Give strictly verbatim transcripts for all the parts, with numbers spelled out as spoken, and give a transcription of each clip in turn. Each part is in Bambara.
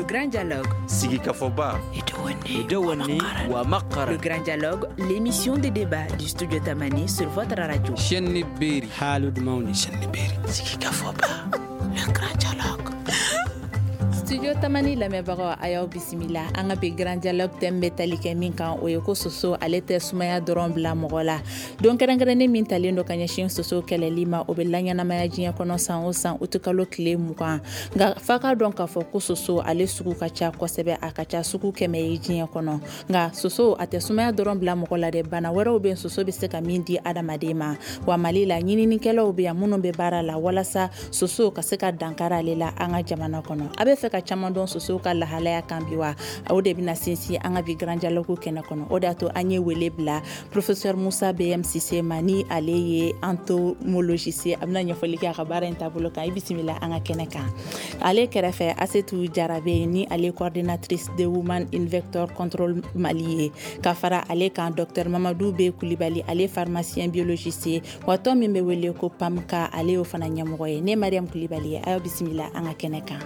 Grand Dialogue. Sigikafɔba. Le Grand Dialogue, l'émission de débat du Studio Tamani sur votre radio. Chaîne Beri. Haalude mawni. Chaîne Beri. Sigikafɔba. Le Grand Dialogue. Studio Tamani lamɛnbagaw, a y'aw bisimila. An ka bi Grand Dialogue thème bɛ tali kɛ min kan, o ye ko soso ale tɛ sumaya dɔrɔn bila mɔgɔ la. Don kɛrɛnkɛrɛnnen min talen don ka ɲɛsin soso kɛlɛli ma, o bɛ laɲɛnamaya diɲɛ kɔnɔ san o san utikalo tile mugan. Nka f'a ka dɔn k'a fɔ ko soso ale sugu ka ca kosɛbɛ, a ka ca sugu kɛmɛ ye diɲɛ kɔnɔ. Nka soso a tɛ sumaya dɔrɔn bila mɔgɔ la dɛ, bana wɛrɛw bɛ soso bɛ se ka min di adamaden ma. Wa Mali la, ɲininikɛlaw bɛ yan minnu bɛ baara la walasa soso ka se ka dankari ale la an ka jamana kɔnɔ. A bɛ fɛ ka caman dɔn sosow ka lahalaya kan bi wa, o de bɛna sinsin an ka bi Grand Dialogue kɛnɛ kɔnɔ. O de y'a to an ye wele bila professeur Musa B M Cissé ma, ni ale ye entomologiste, a bɛna ɲɛfɔli kɛ a ka baara in taabolo kan. I bisimila an ka kɛnɛ kan. Ale kɛrɛfɛ, Asetu Jarabe, ni ale coordinatrice de Women in Vector Control Mali ye. Ka fara ale kan, docteur Mamadou B Kulibali, ale pharmacien biologiste ye, wa tɔn min bɛ wele ko PAMKA, ale y'o fana ɲɛmɔgɔ ye. Ne Mariam Kulibali ye, a y'aw bisimila an ka kɛnɛ kan.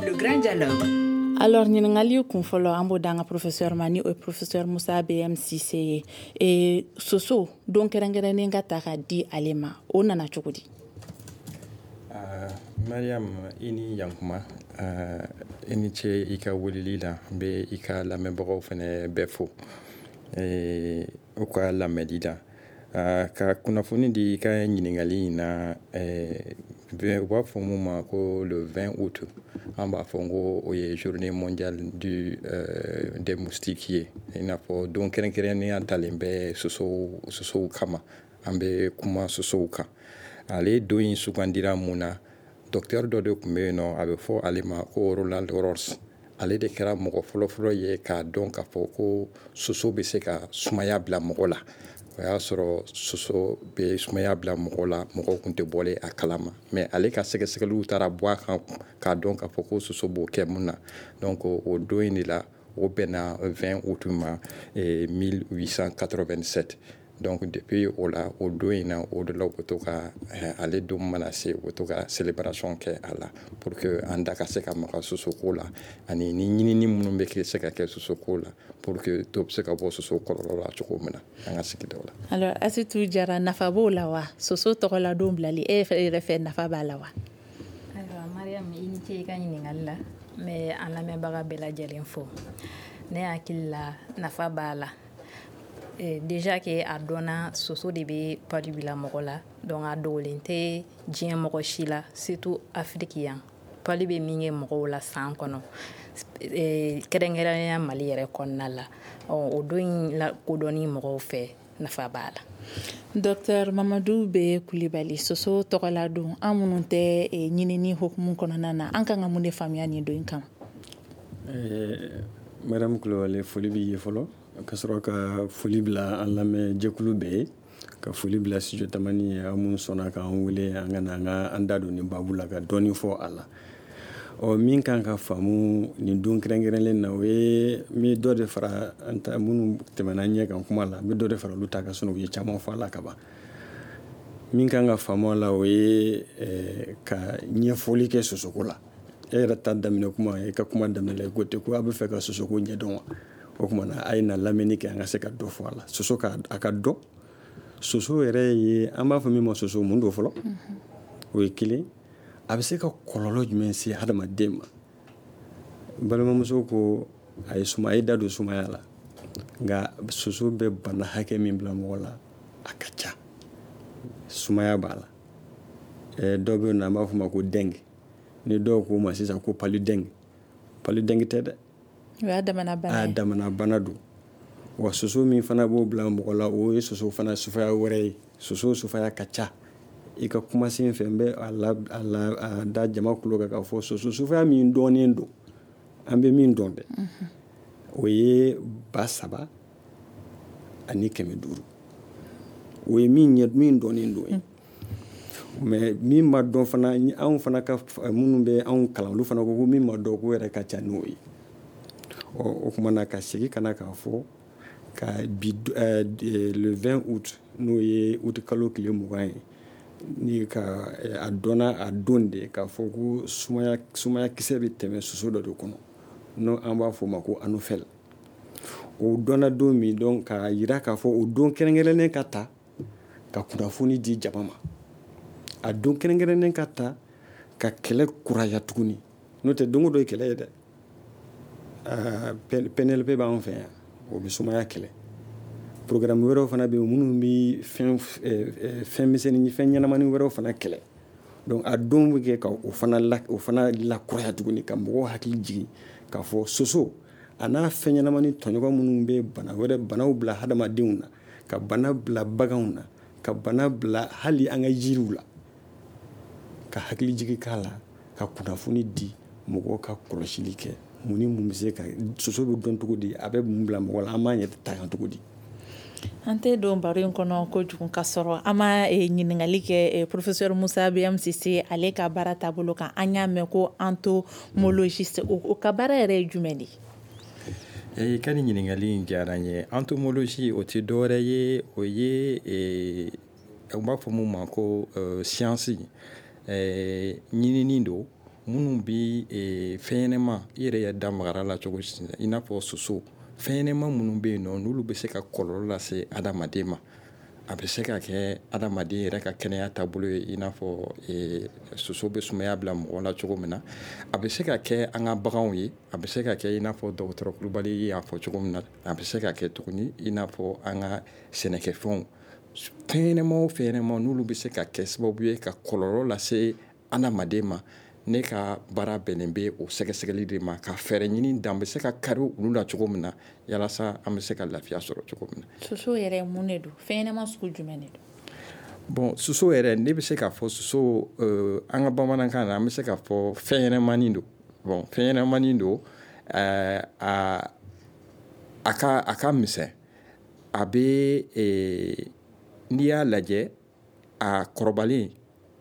Le Grand Dialogue. Alors, ɲininkali kun fɔlɔ, an b'o d'an ka professeur ma, ni o ye professeur Musa B M Cissé ye. E, soso don kɛrɛnkɛrɛnnen ka ta ka di ale ma, o nana cogo di? Uh, Mariam, i ni yankuma, uh, i ni ce i ka weleli la. N bɛ i ka lamɛnbagaw fɛnɛ bɛɛ fo e, u ka lamɛnli la. Uh, ka kunnafoni di i ka ɲininkali in na, eh, u b'a fɔ mun ma ko le vingt août, an b'a fɔ ko o ye journée mondiale du euh, des moustiques ye. I n'a fɔ don kɛrɛnkɛrɛnnenya talen bɛ sosow sosow kama, an bɛ kuma sosow kan. Ale don in sugandira mun na? Docteur dɔ de tun bɛ yen nɔ, a bɛ fɔ ale ma ko Roland Ross. Ale de kɛra mɔgɔ fɔlɔfɔlɔ ye k'a dɔn k'a fɔ ko soso bɛ se ka sumaya bila mɔgɔ la. O y'a sɔrɔ soso bɛ sumaya bila mɔgɔ la, mɔgɔw tun tɛ bɔlen a kalama, mais ale ka sɛgɛsɛgɛliw taara bɔ a kan k'a dɔn k'a fɔ ko soso b'o kɛ mun na. Donc o don in de la, o bɛnna vingt août ma mille huit cent quatre-vingt-sept. Donc depuis o la, o don in na, o de la u bɛ to ka ale don mana se, u bɛ to ka célébration kɛ a la pour que an da ka se ka maga sosoko la, ani ni ɲinini minnu bɛ se ka kɛ sosoko la pour que dɔ bɛ se ka bɔ soso kɔlɔlɔ la cogo min na an ka sigidaw la. Alors Asetu Jara, nafa b'o la wa? Soso tɔgɔla don bilali, e yɛrɛ fɛ nafa b'a la wa? Ayiwa Mariam, i ni ce i ka ɲininkali la. N bɛ an lamɛnbaga bɛɛ lajɛlen fo. Ne hakili la, nafa b'a la. Déjà que a dɔnna soso de bɛ palu bila mɔgɔ la, donc a dogolen tɛ diɲɛ mɔgɔ si la, surtout Afrique yan. Palu bɛ min kɛ mɔgɔw la san kɔnɔ, kɛrɛnkɛrɛnnenya Mali yɛrɛ kɔnɔna la, o don in la kodɔnni mɔgɔw fɛ, nafa b'a la. Docteur Mamadou B Kulibali, soso tɔgɔla don, an minnu tɛ ɲinini hukumu kɔnɔna na, an kan ka mun de faamuya nin don in kama? Mariam Kulibali, foli b'i ye fɔlɔ, ka sɔrɔ ka foli bila an lamɛn jɛkulu bɛɛ ye, ka foli bila Studio Tamani ye, aw minnu sɔnna k'an wele an ka na an ka an da don nin baabu la ka dɔɔni fɔ a la. Ɔ, min kan ka faamu nin don kɛrɛnkɛrɛnlen na, o ye n bɛ dɔ de fara an ta minnu tɛmɛna ɲɛ kan kuma la, n bɛ dɔ de fara olu ta kan, sinɔn u ye caman fɔ a la ka ban. Min kan ka faamu a la, o ye ka ɲɛfɔli kɛ sosoko la. E yɛrɛ ta daminɛ kuma, e ka kuma daminɛ la, i ko ten ko a bɛ fɛ ka sosoko ɲɛdɔn wa? O tuma na a ye na lamɛnni kɛ an ka se ka dɔ fɔ a la. Soso ka a ka dɔn, soso yɛrɛ ye, an b'a fɔ min ma soso, mun don fɔlɔ? O ye kelen. A bɛ se ka kɔlɔlɔ jumɛn se hadamaden ma? N balimamuso ko a ye suma, a ye da don sumaya la, nka soso bɛ bana hakɛ min bila mɔgɔ la, a ka ca. Sumaya b'a la. Dɔw bɛ yen nɔ, an b'a fɔ o ma ko dengue. Ni dɔw k'o ma sisan ko palu dengue, palu dengue tɛ dɛ. O y'a damana bana ye. A damana bana don. Wa soso min fana b'o bila mɔgɔ la, o ye soso fana sufaya wɛrɛ ye. Soso sufaya ka ca. I ka kumasen fɛ, n bɛ a la a la a da jama kulo kan k'a fɔ soso sufaya min dɔnnen don, an bɛ min dɔn dɛ, o ye ba saba ani kɛmɛ duuru. O ye min ɲɛ min dɔnnen don ye. Mais min ma dɔn fana, anw fana ka minnu bɛ anw kalan, olu fana ko ko min ma dɔn k'o yɛrɛ ka ca n'o ye. Ɔ, o tuma na ka segin ka na k'a fɔ ka bi le vingt août, n'o ye août kalo tile mugan ye, Ni ka a dɔnna a don de k'a fɔ ko sumaya sumayakisɛ bɛ tɛmɛ soso dɔ de kɔnɔ, n'o an b'a fɔ o ma ko anophèle. O dɔnna don min, donc k'a jira k'a fɔ o don kɛrɛnkɛrɛnnen ka ta ka kunnafoni di jama ma, a don kɛrɛnkɛrɛnnen ka ta ka kɛlɛ kuraya tuguni. N'o tɛ, don o don ye kɛlɛ ye dɛ. P N L P b'an fɛ yan, o bɛ sumaya kɛlɛ. Programme wɛrɛw fana bɛ yen minnu bɛ fɛn fɛn misɛnnin, fɛn ɲɛnamanin wɛrɛw fana kɛlɛ. Donc a don bɛ kɛ ka o fana la o fana lakuraya tuguni, ka mɔgɔw hakili jigin k'a fɔ soso a n'a fɛn ɲɛnamanin tɔɲɔgɔn minnu bɛ bana wɛrɛ, banaw bila hadamadenw na, ka bana bila baganw na, ka bana bila hali an ka jiriw la, ka hakili jigin k'a la, ka kunnafoni di mɔgɔw ka kɔlɔsili kɛ, mun ni mun bɛ se ka soso bɛ dɔn cogo di, a bɛ mun bila mɔgɔ la, an b'an yɛrɛ tanga cogo di. An tɛ don baro in kɔnɔ kojugu ka sɔrɔ an ma ɲininkali kɛ professeur Musa B M Sise, ale ka baara taabolo kan. An y'a mɛn ko entomologiste, o ka baara yɛrɛ ye jumɛn de ye? I ka nin ɲininkali in diyara n ye. Entomologie, o tɛ dɔwɛrɛ ye, o ye u b'a fɔ mun ma ko science ɲinini don minnu bi fɛn ɲɛnɛma, i yɛrɛ ye da magara la cogo, i n'a fɔ soso, fɛn ɲɛnɛma minnu bɛ yen nɔ, n'olu bɛ se ka kɔlɔlɔ lase adamaden ma. A bɛ se ka kɛ adamaden yɛrɛ ka kɛnɛya taabolo ye, i n'a fɔ soso bɛ sumaya bila mɔgɔ la cogo min na. A bɛ se ka kɛ an ka baganw ye, a bɛ se ka kɛ i n'a fɔ dɔgɔtɔrɔ Kulubali y'a fɔ cogo min na, a bɛ se ka kɛ tuguni i n'a fɔ an ka sɛnɛkɛfɛnw. Fɛn ɲɛnɛma o fɛn ɲɛnɛma n'olu bɛ se ka kɛ sababu ye ka kɔlɔlɔ lase adamaden ma, ne ka baara bɛnnen bɛ o sɛgɛsɛgɛli de ma, ka fɛɛrɛ ɲini dan bɛ se ka kari olu la cogo min na, yalasa an bɛ se ka lafiya sɔrɔ cogo min na. Soso yɛrɛ, mun de don? Fɛn ɲɛnɛma sugu jumɛn de don? Bon, soso yɛrɛ, ne bɛ se k'a fɔ soso, an ka bamanankan na, an bɛ se k'a fɔ fɛn ɲɛnɛmanin don. Bon, fɛn ɲɛnɛmanin don, a a ka a ka misɛn. A bɛ, n'i y'a lajɛ, a kɔrɔbalen,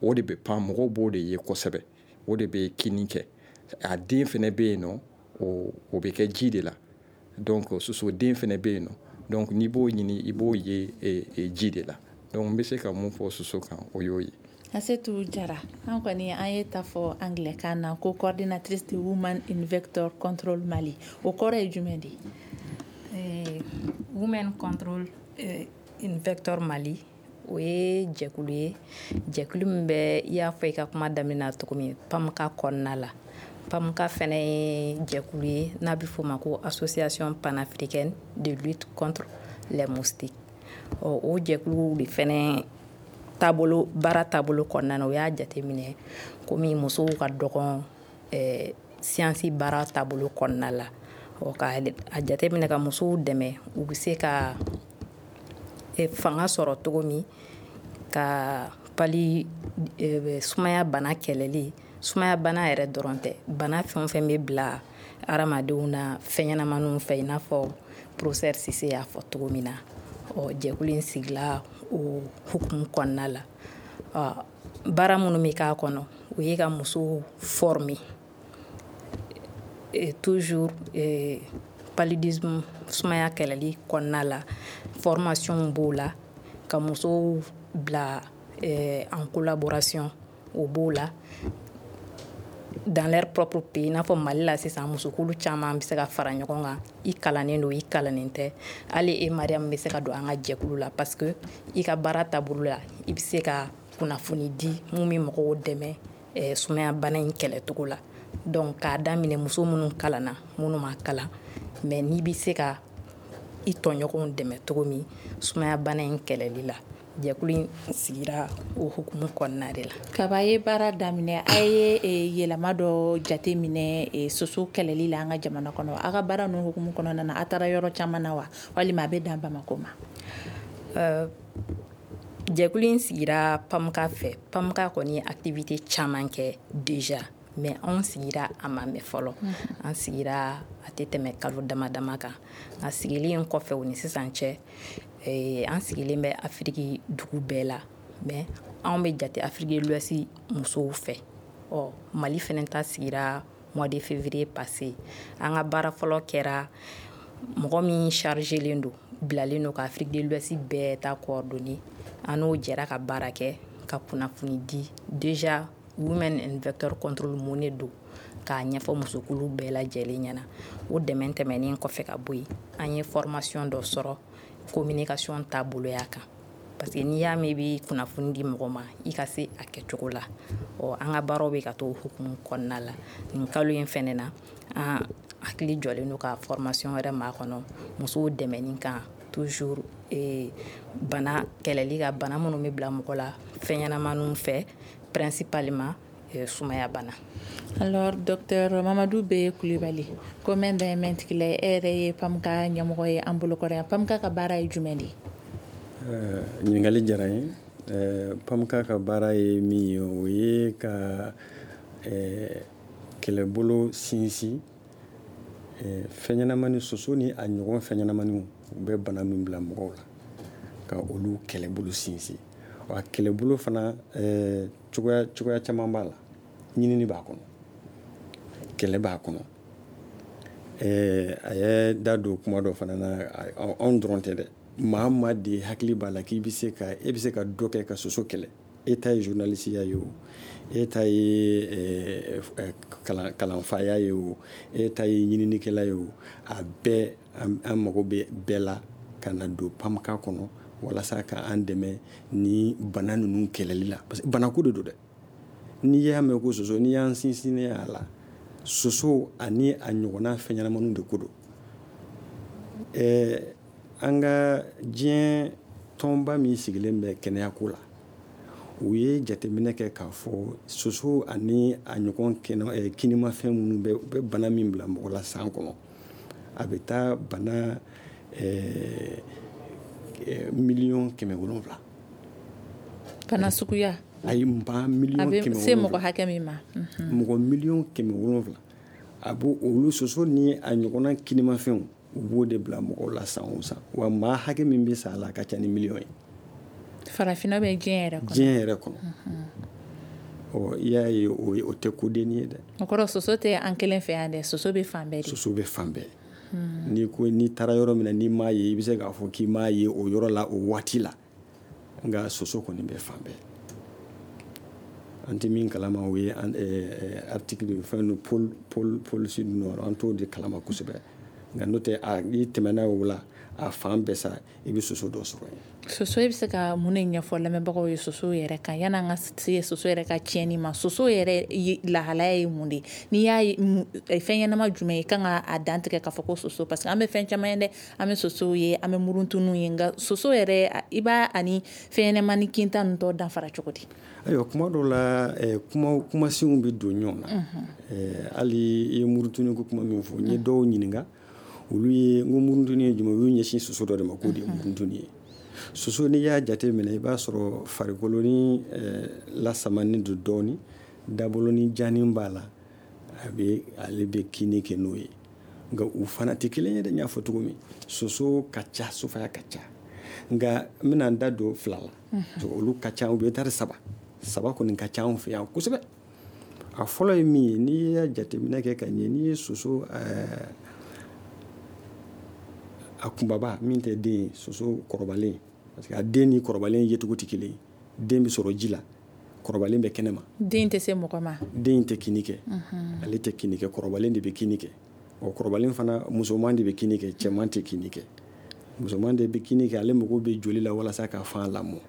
o de bɛ pan, mɔgɔw b'o de ye kosɛbɛ, o de bɛ kinni kɛ. A den fɛnɛ bɛ yen nɔ, o o bɛ kɛ ji de la. Donc soso den fɛnɛ bɛ yen nɔ, donc n'i b'o ɲini, i b'o ye ji de la. Donc n bɛ se ka mun fɔ soso kan, o y'o ye. Asetu Jara, an kɔni an ye ta fɔ anglais na ko coordinatrice de Women in Vector Control Mali, o kɔrɔ ye jumɛn de ye? Women Control in Vector Mali, o ye jɛkulu ye, jɛkulu min bɛ, i y'a fɔ i ka kuma daminɛ na cogo min, PAMCA kɔnɔna la. PAMCA fɛnɛ ye jɛkulu ye n'a bɛ f'o ma ko Association panafricaine de lutte contre les moustiques. Ɔ, o jɛkulu de fɛnɛ taabolo, baara taabolo kɔnɔna na, o y'a jateminɛ komi musow ka dɔgɔn ɛɛ science baara taabolo kɔnɔna la. Ɔ, ka a jateminɛ ka musow dɛmɛ, u bɛ se ka fanga sɔrɔ cogo min ka palu, sumaya bana kɛlɛli. Sumaya bana yɛrɛ dɔrɔn tɛ, bana fɛn o fɛn bɛ bila hadamadenw na fɛn ɲɛnamaninw fɛ, i n'a fɔ professeur Sise y'a fɔ cogo min na. Ɔ, jɛkulu in sigila o hukumu kɔnɔna la. Ɔ, baara minnu bɛ k'a kɔnɔ, o ye ka musow former toujours paludisme, sumaya kɛlɛli kɔnɔna la. Formation b'o la, ka musow bila en collaboration, o b'o la, dans leur propre pays, i n'a fɔ Mali la sisan, musokulu caman bɛ se ka fara ɲɔgɔn kan. I kalannen don, i kalannen tɛ, hali e Mariam bɛ se ka don an ka jɛkulu la, parce que i ka baara taabolo la, i bɛ se ka kunnafoni di mun bɛ mɔgɔw dɛmɛ sumaya bana in kɛlɛcogo la. Donc k'a daminɛ muso minnu kalanna, minnu ma kalan, mais n'i bɛ se ka i tɔɲɔgɔnw dɛmɛ cogo min sumaya bana in kɛlɛli la, jɛkulu in sigira o hukumu kɔnɔna de la. Kaba ye baara daminɛ, a ye yɛlɛma dɔ jate minɛ soso kɛlɛli la an ka jamana kɔnɔ. A ka baara ninnu hukumu kɔnɔna na, a taara yɔrɔ caman na wa, walima a bɛ dan Bamakɔ ma? Jɛkulu in sigira PAMCA fɛ. PAMCA kɔni ye activité caman kɛ déjà, mais anw sigira a ma mɛn fɔlɔ. An sigira a tɛ tɛmɛ kalo dama dama kan. Nka sigili in kɔfɛ, o ni sisan cɛ, an sigilen bɛ Afiriki dugu bɛɛ la, mais anw bɛ jate Afrique de l'Ouest musow fɛ. Ɔ, Mali fɛnɛ ta sigira mois de février passé. An ka baara fɔlɔ kɛra mɔgɔ min chargelen don, bilalen don ka Afrique de l'Ouest bɛɛ ta coordonner, an n'o jɛra ka baara kɛ. ka kunnafoni di déjà Women and Vector Control mun de don, k'a ɲɛfɔ musokulu bɛɛ lajɛlen ɲɛna. O dɛmɛ tɛmɛnen kɔfɛ ka bɔ yen, an ye formation dɔ sɔrɔ communication taaboloya kan, parce que n'i y'a mɛn i bɛ kunnafoni di mɔgɔ ma, i ka se a kɛcogo la. Ɔ an ka baaraw bɛ ka to hukumu kɔnɔna la. Nin kalo in fɛnɛ na, an hakili jɔlen don ka formation wɛrɛ makɔnɔ musow dɛmɛni kan, toujours eh, bana kɛlɛli ka bana minnu bɛ bila mɔgɔ la fɛn ɲɛnamaniw fɛ, principalement eh, sumaya bana. Alors docteur Mamadou B Kulibali, ko mɛn da ye mɛn tigila ye, e yɛrɛ ye PAMCA ɲɛmɔgɔ ye an bolokɔrɔ yan. PAMCA ka baara ye jumɛn de ye? Ɲininkali diyara n ye. PAMCA ka baara ye min ye, o ye ka kɛlɛbolo sinsin fɛn ɲɛnamani soso ni a ɲɔgɔn fɛn ɲɛnamaniw u bɛ bana min bila mɔgɔw la, ka olu kɛlɛbolo sinsin. Wa kɛlɛbolo fana cogoya cogoya caman b'a la. Ɲinini b'a kɔnɔ, kɛlɛ b'a kɔnɔ. A ye da don kuma dɔ fana na, anw dɔrɔn tɛ dɛ, maa maa de hakili b'a la k'i bɛ se ka e bɛ se ka dɔ kɛ ka soso kɛlɛ. E ta ye journalisiya ye o, e ta ye kalanfaya ye o, e ta ye ɲininikɛla ye o, a bɛɛ an mago bɛ bɛɛ la ka na don PAMCA kɔnɔ walasa ka an dɛmɛ ni bana ninnu kɛlɛli la. Parce que banako de don dɛ. N'i y'a mɛn ko soso, n'i y'an sinsinnen a la, soso ani a ɲɔgɔnna fɛn ɲɛnamaniw de ko don. Ɛɛ an ka diɲɛ tɔnba min sigilen bɛ kɛnɛyako la, u ye jateminɛ kɛ k'a fɔ soso ani a ɲɔgɔn kɛnɛ kinimafɛn minnu bɛ u bɛ bana min bila mɔgɔ la san kɔnɔ, a bɛ taa bana ɛɛ miliyɔn kɛmɛ wolonwula. Bana suguya? Ayi, ba miliyɔn kɛmɛ wolonwula. A bɛ se mɔgɔ hakɛ min ma. Mɔgɔ miliyɔn kɛmɛ wolonwula. A b'o olu soso ni a ɲɔgɔnna kinimafɛnw, u b'o de bila mɔgɔw la san o san. Wa maa hakɛ min bɛ sa a la, a ka ca ni miliyɔn ye. Farafinna bɛ diɲɛ yɛrɛ kɔnɔ. Diɲɛ yɛrɛ kɔnɔ. Ɔ i y'a ye, o o tɛ kodenni ye dɛ. O kɔrɔ soso tɛ an kelen fɛ yan dɛ, soso bɛ fan bɛɛ de. Soso bɛ fan bɛɛ. N'i ko n'i taara yɔrɔ min na n'i m'a ye, i bɛ se k'a fɔ k'i m'a ye o yɔrɔ la o waati la. Nka soso kɔni bɛ fan bɛɛ. An tɛ min kalama, o ye article fɛn pôle pôle pôle sud nord, an t'o de kalama kosɛbɛ. Nka n'o tɛ, a n'i tɛmɛna o la, a fan bɛɛ sa, i bɛ soso dɔ sɔrɔ yen. Soso, e bɛ se ka mun de ɲɛfɔ lamɛnbagaw ye soso yɛrɛ kan, yan'an ka se soso yɛrɛ ka tiɲɛni ma? Soso yɛrɛ lahalaya ye mun de ye? N'i y'a ye fɛn ɲɛnama jumɛn ye, i kan ka a dantigɛ k'a fɔ ko soso? Parce que an bɛ fɛn caman ye dɛ, an bɛ sosow ye, an bɛ muruntuniw ye, nka soso yɛrɛ, i b'a ani fɛn ɲɛnamani kinta ninnu tɔ danfara cogo di? Ayiwa, kuma dɔw la kuma kumasenw bɛ don ɲɔgɔn na. Hali i ye muruntuni ko kuma min fɔ, n ye dɔw ɲininka, olu ye n ko muruntuni ye jumɛn, u y'u ɲɛsin soso dɔ de ma k'o de ye muruntuni ye. Soso, n'i y'a jate minɛ, i b'a sɔrɔ farikolo ni lasamanen don dɔɔni, daboloni janin b'a la, a bɛ ale bɛ kinni kɛ n'o ye. Nka u fana tɛ kelen ye dɛ. N y'a fɔ cogo min, soso ka ca, sofaya ka ca, nka n bɛna n da don fila la. Olu ka ca, u bɛ taari saba saba kɔni ka ca anw fɛ yan kosɛbɛ. A fɔlɔ ye min ye, n'i y'a jateminɛ kɛ ka ɲɛ, n'i ye soso a kunbaba min tɛ den ye, soso kɔrɔbalen, parce que a den ni kɔrɔbalen yecogo tɛ kelen ye. Den bɛ sɔrɔ ji la, kɔrɔbalen bɛ kɛnɛ ma. Den tɛ se mɔgɔ ma. Den tɛ kinni kɛ. Ale tɛ kinni kɛ, kɔrɔbalen de bɛ kinni kɛ. Ɔ kɔrɔbalen fana, musoman de bɛ kinni kɛ, cɛman tɛ kinni kɛ. Musoman de bɛ kinni kɛ, ale mago bɛ joli la walasa ka fan lamɔ.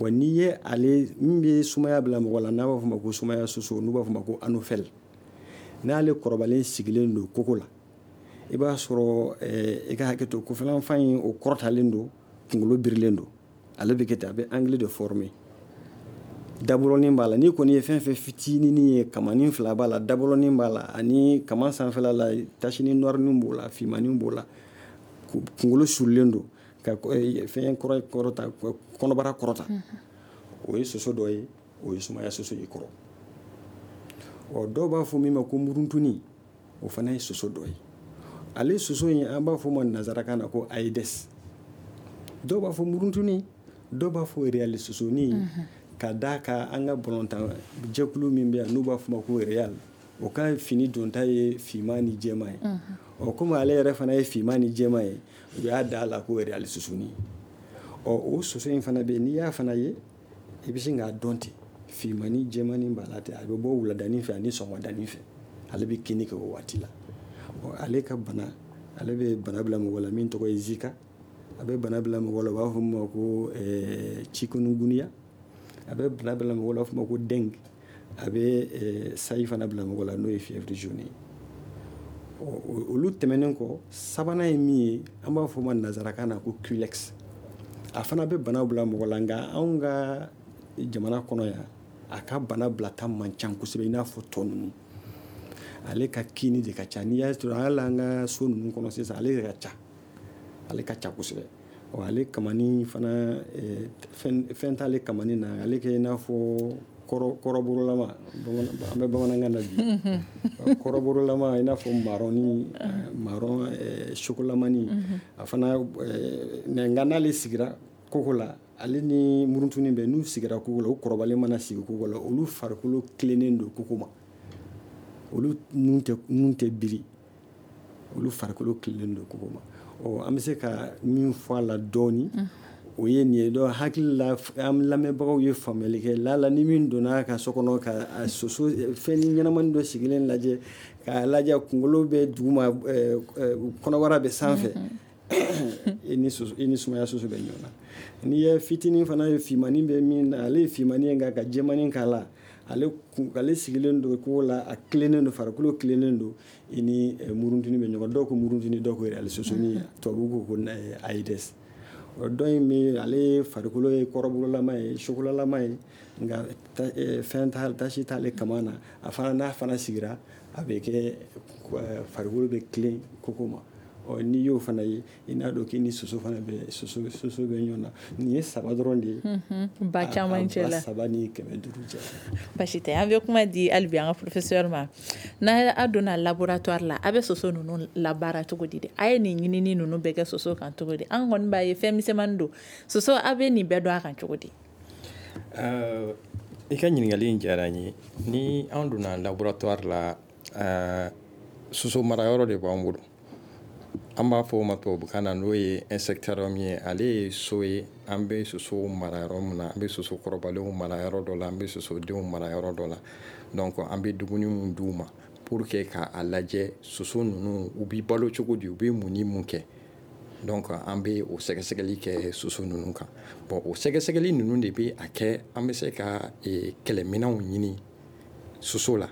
Wa n'i ye ale min bɛ sumaya bila mɔgɔ la, n'a b'a fɔ ma ko sumaya soso, n'u b'a fɔ ma ko anophèle, n'ale kɔrɔbalen sigilen don koko la, i b'a sɔrɔ i ka hakɛ to, kɔfɛlanfan in o kɔrɔtalen don, kunkolo birilen don, ale bɛ kɛ ten, a bɛ angle de former. Dabɔlɔnin b'a la, n'i kɔni ye fɛn fɛn fitinin ye, kamanin fila b'a la, dabɔlɔnin b'a la, ani kaman sanfɛla la tasini noirnin b'o la, finmanin b'o la, kunkolo surulen don ka fɛn kɔrɔ kɔrɔta, kɔnɔbara kɔrɔta, o ye soso dɔ ye, o ye sumaya soso ye kɔrɔ. Ɔ dɔw b'a fɔ min ma ko muruntuni, o fana ye soso dɔ ye. Ale soso in, an b'a fɔ ma nanzarakan na ko Aedes. Dɔw b'a fɔ muruntuni, dɔw b'a fɔ Real sosoni, ka d'a kan an ka balontan jɛkulu min bɛ yan n'u b'a fɔ ma ko Real, o ka fini donta ye finman ni jɛman ye. Ɔ komi ale yɛrɛ fana ye finman ni jɛman ye, u y'a da a la ko Real sosoni. Ɔ o soso in fana bɛ yen, n'i y'a fana ye, I bɛ sin k'a dɔn ten, finmani jɛmani b'a la ten. A bɛ bɔ wuladani fɛ ani sɔgɔmadani fɛ, ale bɛ kinni kɛ o waati la. Ale ka bana, ale bɛ bana bila mɔgɔ la min tɔgɔ ye Zika. A bɛ bana bila mɔgɔ la, u b'a fɔ min ma ko chikungunya. A bɛ bana bila mɔgɔ la, u b'a fɔ ma ko dengue. A bɛ sayi fana bila mɔgɔ la, n'o ye fièvre jaune ye. Olu tɛmɛnen kɔ, sabanan ye min ye, an b'a fɔ o ma nanzarakan na ko culex. A fana bɛ bana bila mɔgɔ la, nka anw ka jamana kɔnɔ yan, a ka bana bilata man ca kosɛbɛ i n'a fɔ tɔ ninnu. Ale ka kini de ka ca. N'i y'a sɔrɔ hali an ka so ninnu kɔnɔ sisan, ale de ka ca, ale ka ca kosɛbɛ. Ɔ, ale kamani fana, fɛn fɛn t'ale kamani na. Ale kɛ i n'a fɔ kɔrɔbɔrɔlama, an bɛ bamanankan na bi, kɔrɔbɔrɔlama, i n'a fɔ marɔni, marron chocolatmani. A fana, nka n'ale sigira koko la, ale ni murutunin bɛ, n'u sigira koko la, u kɔrɔbalen mana sigi koko la, olu farikolo tilennen don koko ma, olu nun tɛ nun tɛ biri, olu farikolo tilennen don koko ma. Ɔ, an bɛ se ka min fɔ a la dɔɔni, o ye nin ye. Dɔn hakili la, an lamɛnbagaw ye faamuyali kɛ lala ni min donna ka so kɔnɔ ka a soso fɛn ɲɛnamani dɔ sigilen lajɛ, k'a lajɛ, kunkolo bɛ duguma, kɔnɔbara bɛ sanfɛ, i ni soso, i ni sumaya soso bɛ ɲɔgɔn na. N'i ye fitinin fana ye, finmani bɛ min na, ale ye finmani ye, nka ka jɛmani k'a la, ale ale sigilen don kogo la, a tilennen don, farikolo tilennen don, i ni muruntuni bɛ ɲɔgɔn. Dɔw ko muruntuni, dɔw ko yɛrɛ sosoni, tubabu ko ko Aedes. Dɔ in bɛ, ale farikolo ye kɔrɔbɔrɔlama ye, chocolatama ye, nka fɛn t'a, tasi t'ale kama na. A fana, n'a fana sigira, a bɛ kɛ farikolo bɛ tilen koko ma. Ɔ, n'i y'o fana ye, i n'a dɔn k'i ni soso fana bɛ soso soso bɛ ɲɔgɔn na. Nin ye saba dɔrɔn de ye ba caman cɛ la, ba saba ni kɛmɛ duuru cɛ. Basi tɛ, an bɛ kuma di hali bi an ka professeur ma. N'a a donna laboratoire la, a bɛ soso ninnu labaara cogo di de? A ye nin ɲinini ninnu bɛɛ kɛ soso kan cogo di? An kɔni b'a ye fɛn misɛnmanin don soso, a bɛ nin bɛɛ dɔn a kan cogo di? I ka ɲininkali in diyara n ye. Ni an donna laboratoire la, soso marayɔrɔ de b'an bolo, an b'a fɔ o ma tubabukan na n'o ye insectarium ye. Ale ye so ye, an bɛ soso mara yɔrɔ min na, an bɛ soso kɔrɔbalenw mara yɔrɔ dɔ la, an bɛ sosodenw mara yɔrɔ dɔ la. Donc an bɛ dumuni mun d'u ma pour que k'a lajɛ soso ninnu u bɛ balo cogo di, u bɛ mun ni mun kɛ. Donc an bɛ o sɛgɛsɛgɛli kɛ soso ninnu kan. Bon, o sɛgɛsɛgɛli ninnu de bɛ a kɛ an bɛ se ka kɛlɛminɛnw ɲini soso la.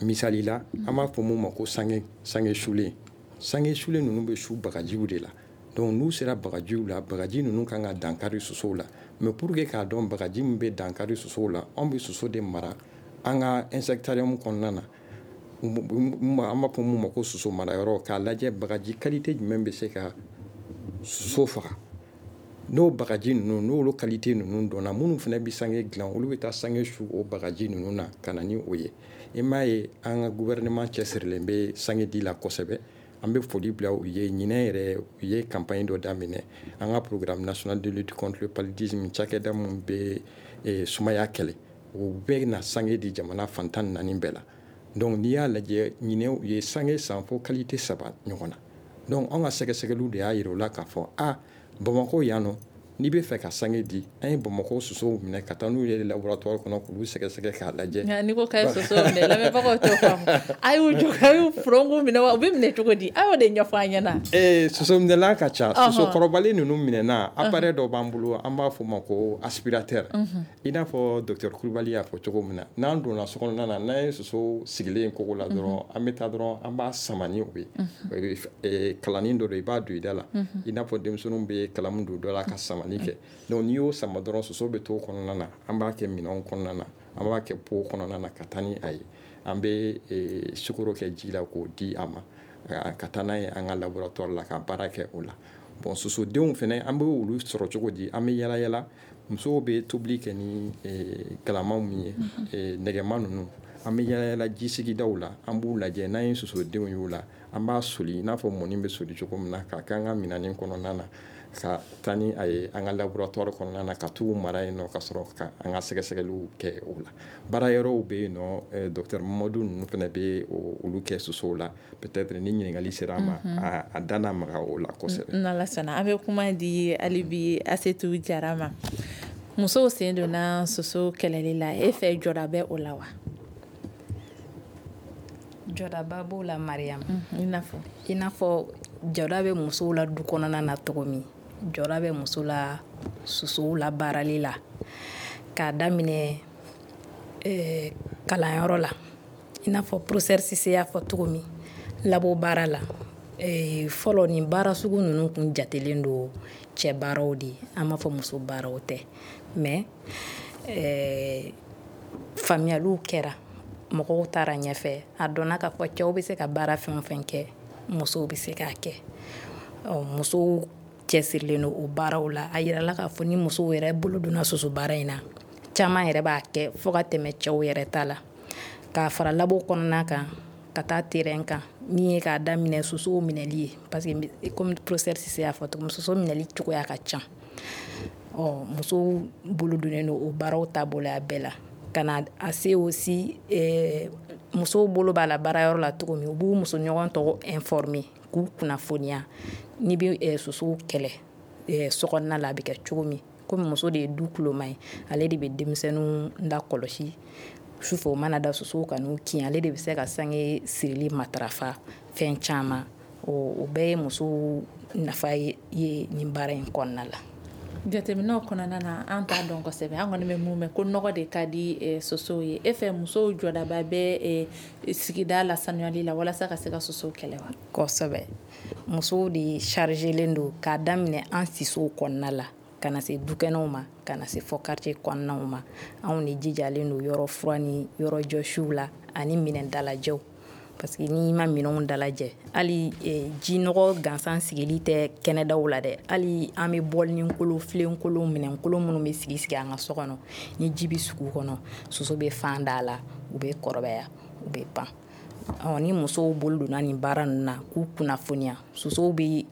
Misali la, an b'a fɔ mun ma ko sange sange sulen. Sange sulen ninnu bɛ su bagajiw de la. Donc n'u sera bagajiw la, bagaji ninnu kan ka dankari sosow la. Mais pour que k'a dɔn bagaji min bɛ dankari sosow la, anw bɛ soso de mara an ka insectarium kɔnɔna na, an b'a fɔ mun ma ko soso marayɔrɔ, k'a lajɛ bagaji qualité jumɛn bɛ se ka soso faga. N'o bagaji ninnu, n'olu qualité ninnu dɔnna, minnu fana bɛ sange dilan, olu bɛ taa sange su o bagaji ninnu na ka na ni o ye. I m'a ye, an ka gouvernement cɛsirilen bɛ sange di la kosɛbɛ. An bɛ foli bila u ye. Ɲinɛ yɛrɛ, u ye campagne dɔ daminɛ, an ka programme national de lutte contre le paludisme, cakɛda min bɛ sumaya kɛlɛ, o bɛ na sange di jamana fan tan ni naani bɛɛ la. Donc n'i y'a lajɛ, ɲinɛ u ye sange san fo qualité saba ɲɔgɔn na. Donc anw ka sɛgɛsɛgɛliw de y'a yira u la k'a fɔ a Bamakɔ yan nɔ, n'i bɛ fɛ ka sange di, an ye Bamakɔ sosow minɛ ka taa n'u ye laboratoire kɔnɔ k'olu sɛgɛsɛgɛ k'a lajɛ. Nka n'i ko k'a ye sosow minɛ, lamɛnbagaw t'o faamu. A y'u jɔ, a y'u furonku minɛ wa? U bɛ minɛ cogo di? A y'o de ɲɛfɔ an ɲɛna. Ee, soso minɛla ka ca. Soso kɔrɔbalen ninnu minɛna, appareil dɔ b'an bolo, an b'a fɔ o ma ko aspirateur. I n'a fɔ docteur Kulubali y'a fɔ cogo min na, n'an donna so kɔnɔna na, n'an ye soso sigilen kogo la dɔrɔn, an bɛ taa dɔrɔn, an b'a sama ni o ye. Kalanin dɔ don, i b'a don i da la, i n'a fɔ denmisɛnninw bɛ kalamu don dɔ la ka sama kɛ. Donc n'i y'o sama dɔrɔn, soso bɛ to kɔnɔna na. An b'a kɛ minɛnw kɔnɔna na, an b'a kɛ pot kɔnɔna na ka taa ni a ye. An bɛ sukaro kɛ ji la k'o di a ma, ka taa n'a ye an ka laboratoire la ka baara kɛ o la. Bon, sosodenw fana, an bɛ olu sɔrɔ cogo di? An bɛ yala yala, musow bɛ tobili kɛ ni galamaw min ye, nɛgɛma ninnu, an bɛ yala yala ji sigidaw la, an b'u lajɛ. N'an ye sosodenw y'o la, an b'a soli i n'a fɔ mɔni bɛ soli cogo min na, k'a kɛ an ka minɛnin kɔnɔna na, ka taa ni a ye an ka laboratoire kɔnɔna na, ka t'u mara yen nɔ, ka sɔrɔ ka an ka sɛgɛsɛgɛliw kɛ o la. Baara yɔrɔw bɛ yen nɔ, docteur Mamadu ninnu fana bɛ olu kɛ sosow la. Peut-être ni ɲininkali sera a ma, a da n'a maga o la kosɛbɛ. N'Ala sɔnna, an bɛ kuma di hali bi Asetu Jara ma. Musow sen donna soso kɛlɛli la, e fɛ jɔda bɛ o la wa? Jɔdaba b'o la, Mariam. I n'a fɔ? I n'a fɔ jɔda bɛ musow la du kɔnɔna na cogo min, jɔda bɛ muso la sosow la baarali la, k'a daminɛ eh, kalanyɔrɔ la. I n'a fɔ professeur Sise y'a fɔ cogo min, labo baara la, eh, fɔlɔ nin baara sugu ninnu kun jatelen don cɛ baaraw de ye, an b'a fɔ muso baaraw tɛ. Mais eh, faamuyaliw kɛra, mɔgɔw taara ɲɛfɛ, a dɔnna k'a fɔ cɛw bɛ se ka baara fɛn o fɛn kɛ, musow bɛ se k'a kɛ. Musow cɛsirilen don o baaraw la. A yirala k'a fɔ ni musow yɛrɛ bolo donna soso baara in na, caman yɛrɛ b'a kɛ fo ka tɛmɛ cɛw yɛrɛ ta la. K'a fara labo kɔnɔna kan ka taa terrain kan, min ye k'a daminɛ sosow minɛli ye, parce que comme professeur Sise y'a fɔ cogo min, soso minɛli cogoya ka ca. Ɔ musow bolo donnen don o baaraw taabolo a bɛɛ la, ka na a se aussi eh, musow bolo b'a la baarayɔrɔ la cogo min, u b'u muso ɲɔgɔn tɔgɔ informer, k'u kunnafoniya n'i bɛ eh, sosow kɛlɛ eh, sokɔnɔna la, a bɛ kɛ cogo min. Komi muso de ye du kuloma ye, ale de bɛ denmisɛnninw lakɔlɔsi sufɛ, o mana da sosow ka n'u kin, ale de bɛ se ka sange sirili matarafa, fɛn caman. O bɛɛ ye musow nafa ye nin baara in kɔnɔna la. Jateminɛw kɔnɔna na, an t'a dɔn kosɛbɛ, an kɔni bɛ mun mɛn ko nɔgɔ de ka di sosow ye. E fɛ musow jɔdaba bɛ sigida lasanuyali la walasa ka se ka sosow kɛlɛ wa? Kosɛbɛ, musow de chargelen don k'a daminɛ an sisow kɔnɔna la, ka na se dukɛnɛw ma, ka na se fɔ quartier kɔnɔnaw ma. Anw de jijalen don yɔrɔ fura ni yɔrɔ jɔsiw la ani minɛn dalajɛw, parce que n'i ma minɛnw dalajɛ, hali jinɔgɔ gansan sigili tɛ kɛnɛdaw la dɛ, hali an bɛ bɔlini kolo, filenkolo, minɛnkolo minnu bɛ sigi sigi an ka so kɔnɔ, ni ji bɛ sigi u kɔnɔ, soso bɛ fan da la, u bɛ kɔrɔbaya, u bɛ pan. Ɔ ni musow bolo donna nin baara ninnu na k'u kunnafoniya, sosow bɛ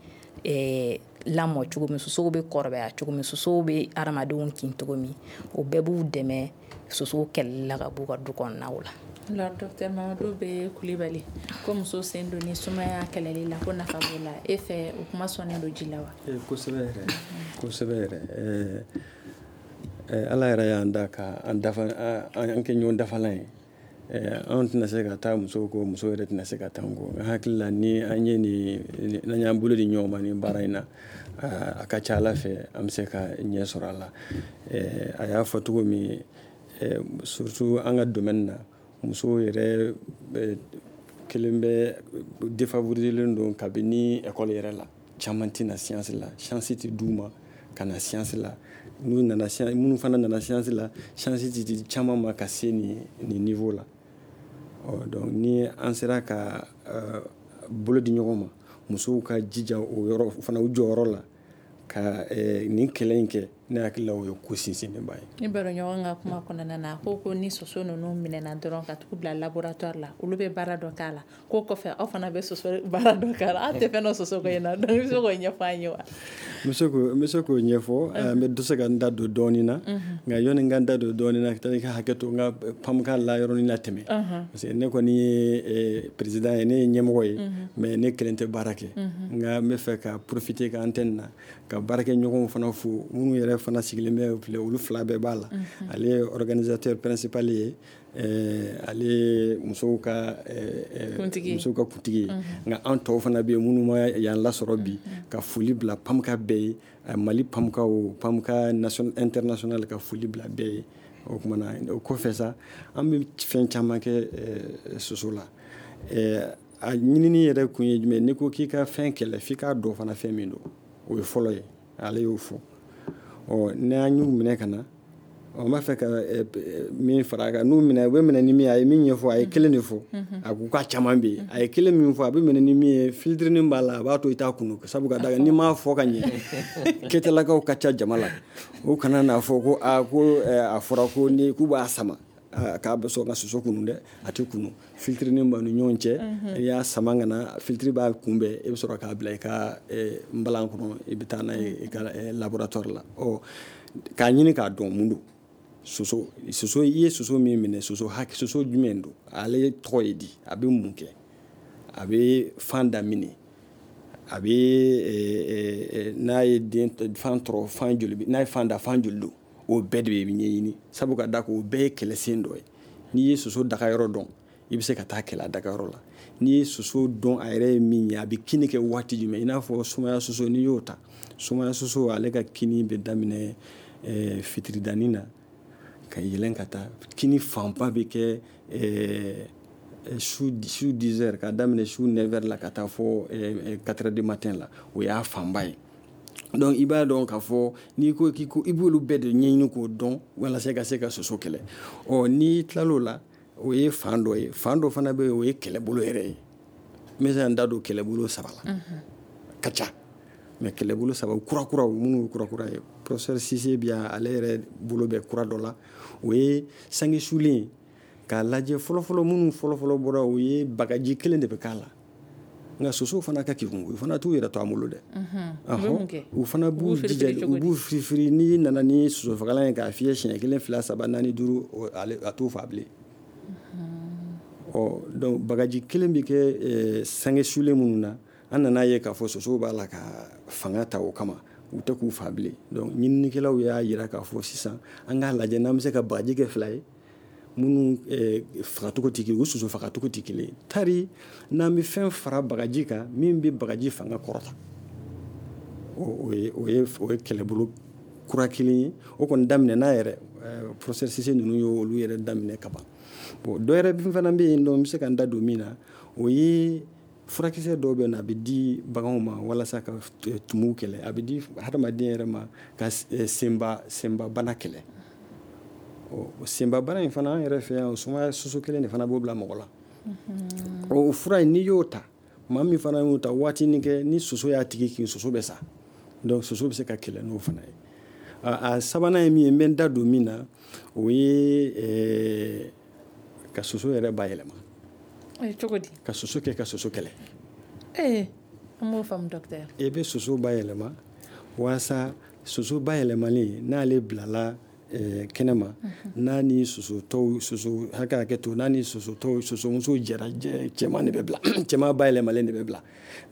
lamɔ cogo min, sosow bɛ kɔrɔbaya cogo min, sosow bɛ hadamadenw kin cogo min, o bɛɛ b'u dɛmɛ sosow kɛlɛli la ka b'u ka du kɔnɔnaw la. Alors docteur Mamadu bɛ Kulibali, ko muso sen don ni sumaya kɛlɛli la, ko nafa b'o la, e fɛ o kuma sɔnnen don ji la wa? Kosɛbɛ yɛrɛ, kosɛbɛ yɛrɛ. Ala yɛrɛ y'an da ka an dafa, an kɛ ɲɔgɔn dafalan ye. Anw tɛna se ka taa musow kɔ, muso yɛrɛ tɛna se ka taa an kɔ. N hakili la ni an ye nin, n'an y'an bolo di ɲɔgɔn ma nin baara in na, a ka ca Ala fɛ an bɛ se ka ɲɛ sɔrɔ a la. A y'a fɔ cogo min, surtout an ka domaine na, musow yɛrɛ kelen bɛ défavoriselen don kabini école yɛrɛ la. Caman tɛ na science la, chance tɛ d'u ma ka na science la. N'u nana, minnu fana nana science la, chance tɛ di caman ma ka se nin nin niveau la. Ɔ donc ni an sera ka bolo di ɲɔgɔn ma, musow ka jija o yɔrɔ fana, u jɔyɔrɔ la ka nin kɛlɛ in kɛ, ne hakili la o ye ko sinsinnenba ye. Ni baro ɲɔgɔn ka kuma kɔnɔna na, ko ko ni soso ninnu minɛna dɔrɔn ka tugu bila laboratoire la, olu bɛ baara dɔ k'a la, k'o kɔfɛ aw fana bɛ soso baara dɔ k'a la. Aw tɛ fɛn dɔ soso ko in na, donc i bɛ se k'o ɲɛfɔ an ye wa? N bɛ se k'o n bɛ se k'o ɲɛfɔ, n bɛ se ka n da don dɔɔnin na, nka yɔni n ka n da don dɔɔnin na, i ka hakɛ to n ka PAMCA la yɔrɔnin na tɛmɛ, parce que ne kɔni ye président ye, ne ye ɲɛmɔgɔ ye, mais ne kelen tɛ baara kɛ. Nka n bɛ fɛ ka profiter ka antenne na ka baarakɛɲɔgɔnw fana fo, minnu yɛrɛ fana sigilen bɛ filɛ, olu fila bɛɛ b'a la. Ale ye organisateur principal ye, ale ye musow ka musow ka kuntigi ye. Nka an tɔw fana bɛ yen minnu ma yan lasɔrɔ bi, ka foli bila PAMCA bɛɛ ye, Mali PAMCA o PAMCA international, ka foli bila bɛɛ ye. O kumana o kɔfɛ sa, an bɛ fɛn caman kɛ soso la. A ɲinini yɛrɛ kun ye jumɛn? N'i ko k'i ka fɛn kɛlɛ, f'i k'a dɔn fana fɛn min don, o ye fɔlɔ ye, ale y'o fɔ. Ɔ n'an y'u minɛ ka na, n b'a fɛ ka min fara a kan, n'u minɛ, u bɛ minɛ ni min ye, a ye min ɲɛfɔ, a ye kelen de fɔ, a ko k'a caman bɛ yen, a ye kelen min fɔ, a bɛ minɛ ni min ye, filtre b'a la, a b'a to i t'a kunu, sabu ka da kan n'i m'a fɔ ka ɲɛ, kɛtɛlakaw ka ca jama la, o kana n'a fɔ ko aa ko a fɔra ko ni k'u b'a sama k'a bɛ sɔn ka soso kunu dɛ, a tɛ kunu. Filtre b'a ni ɲɔgɔn cɛ, n'i y'a sama ka na, filtre b'a kunbɛn, e bɛ sɔrɔ k'a bila i ka nbalan kɔnɔ, i bɛ taa n'a ye i ka laboratoire la. Ɔ k'a ɲini k'a dɔn mun don soso, soso i ye soso min minɛ, soso hakɛ, soso jumɛn don, ale tɔgɔ ye di, a bɛ mun kɛ, a bɛ fan da minɛ, a bɛ n'a ye den fan tɔrɔ, fan joli, n'a ye fan da, fan joli don. O bɛɛ de bɛ ɲɛɲini, sabu ka da k'o bɛɛ ye kɛlɛsen dɔ ye. N'i ye soso dagayɔrɔ dɔn, i bɛ se ka taa kɛlɛ a dagayɔrɔ la. N'i ye soso dɔn a yɛrɛ ye min ye, a bɛ kinni kɛ waati jumɛn, i n'a fɔ sumaya soso, n'i y'o ta, sumaya soso ale ka kinni bɛ daminɛ eh, fitiridanin na ka yɛlɛn ka taa. Kinni fanba bɛ kɛ eh, su su dix heures, ka daminɛ su neuf heures la ka taa fɔ eh, quatre heures du matin la, o y'a fanba ye. Donc i b'a dɔn k'a fɔ n'i ko k'i ko i b'olu bɛɛ de ɲɛɲini k'o dɔn walasa i ka se ka soso kɛlɛ. Ɔ n'i tilal'o la, o ye fan dɔ ye. Fan dɔ fana bɛ yen, o ye kɛlɛbolo yɛrɛ ye. N bɛ se ka n da don kɛlɛbolo saba la, ka ca, mais kɛlɛbolo saba kurakuraw minnu ye kurakura ye, professeur Cissé bi yan, ale yɛrɛ bolo bɛ kura dɔ la, o ye sange sulen k'a lajɛ. Fɔlɔfɔlɔ minnu fɔlɔfɔlɔ bɔra, o ye bagaji kelen de bɛ k'a la. Nka sosow fana ka kegun, u fana t'u yɛrɛ to an bolo dɛ. U fana b'u jija, u b'u firifiri. N'i nana ni sosofagalan ye k'a fiyɛ siɲɛ kelen, fila, saba, naani, duuru, a t'o fa bilen. Ɔ donc bagaji kelen bɛ kɛ sange sulen minnu na, an nana ye k'a fɔ sosow b'a la ka fanga ta o kama, u tɛ k'u fa bilen. Donc ɲininikɛlaw y'a jira k'a fɔ sisan an k'a lajɛ n'an bɛ se ka bagaji kɛ fila ye minnu fagacogo tɛ kelen, u soso fagacogo tɛ kelen. Tari n'an bɛ fɛn fara bagaji kan min bɛ bagaji fanga kɔrɔta, o ye o ye o ye kɛlɛbolo kura kelen ye. O kɔni daminɛna yɛrɛ, professeur Cissé ninnu y'olu yɛrɛ daminɛ ka ban. Bon, dɔ yɛrɛ fana bɛ yen nɔ, n bɛ se ka n da don min na, o ye furakisɛ dɔw bɛ yen, a bɛ di baganw ma walasa ka tumuw kɛlɛ, a bɛ di hadamaden yɛrɛ ma ka senba senbabana kɛlɛ. Ɔ senbabana in fana, an yɛrɛ fɛ yan, sumaya soso kelen de fana b'o bila mɔgɔ la. O fura in, n'i y'o ta, maa min fana y'o ta waatinin kɛ, ni soso y'a tigi kin, soso bɛ sa. Donc soso bɛ se ka kɛlɛ n'o fana ye. A sabanan ye min ye, n bɛ n da don min na, o ye ka soso yɛrɛ bayɛlɛma. Cogo di? Ka soso kɛ ka soso kɛlɛ. Ee, an b'o faamu docteur. I bɛ soso bayɛlɛma walasa soso bayɛlɛmalen, n'ale bilala kɛnɛma, n'a ni soso tɔw, soso hakɛ hakɛ to, n'a ni soso tɔw, sosomuso jɛra, cɛman de bɛ bila, cɛman bayɛlɛmalen de bɛ bila.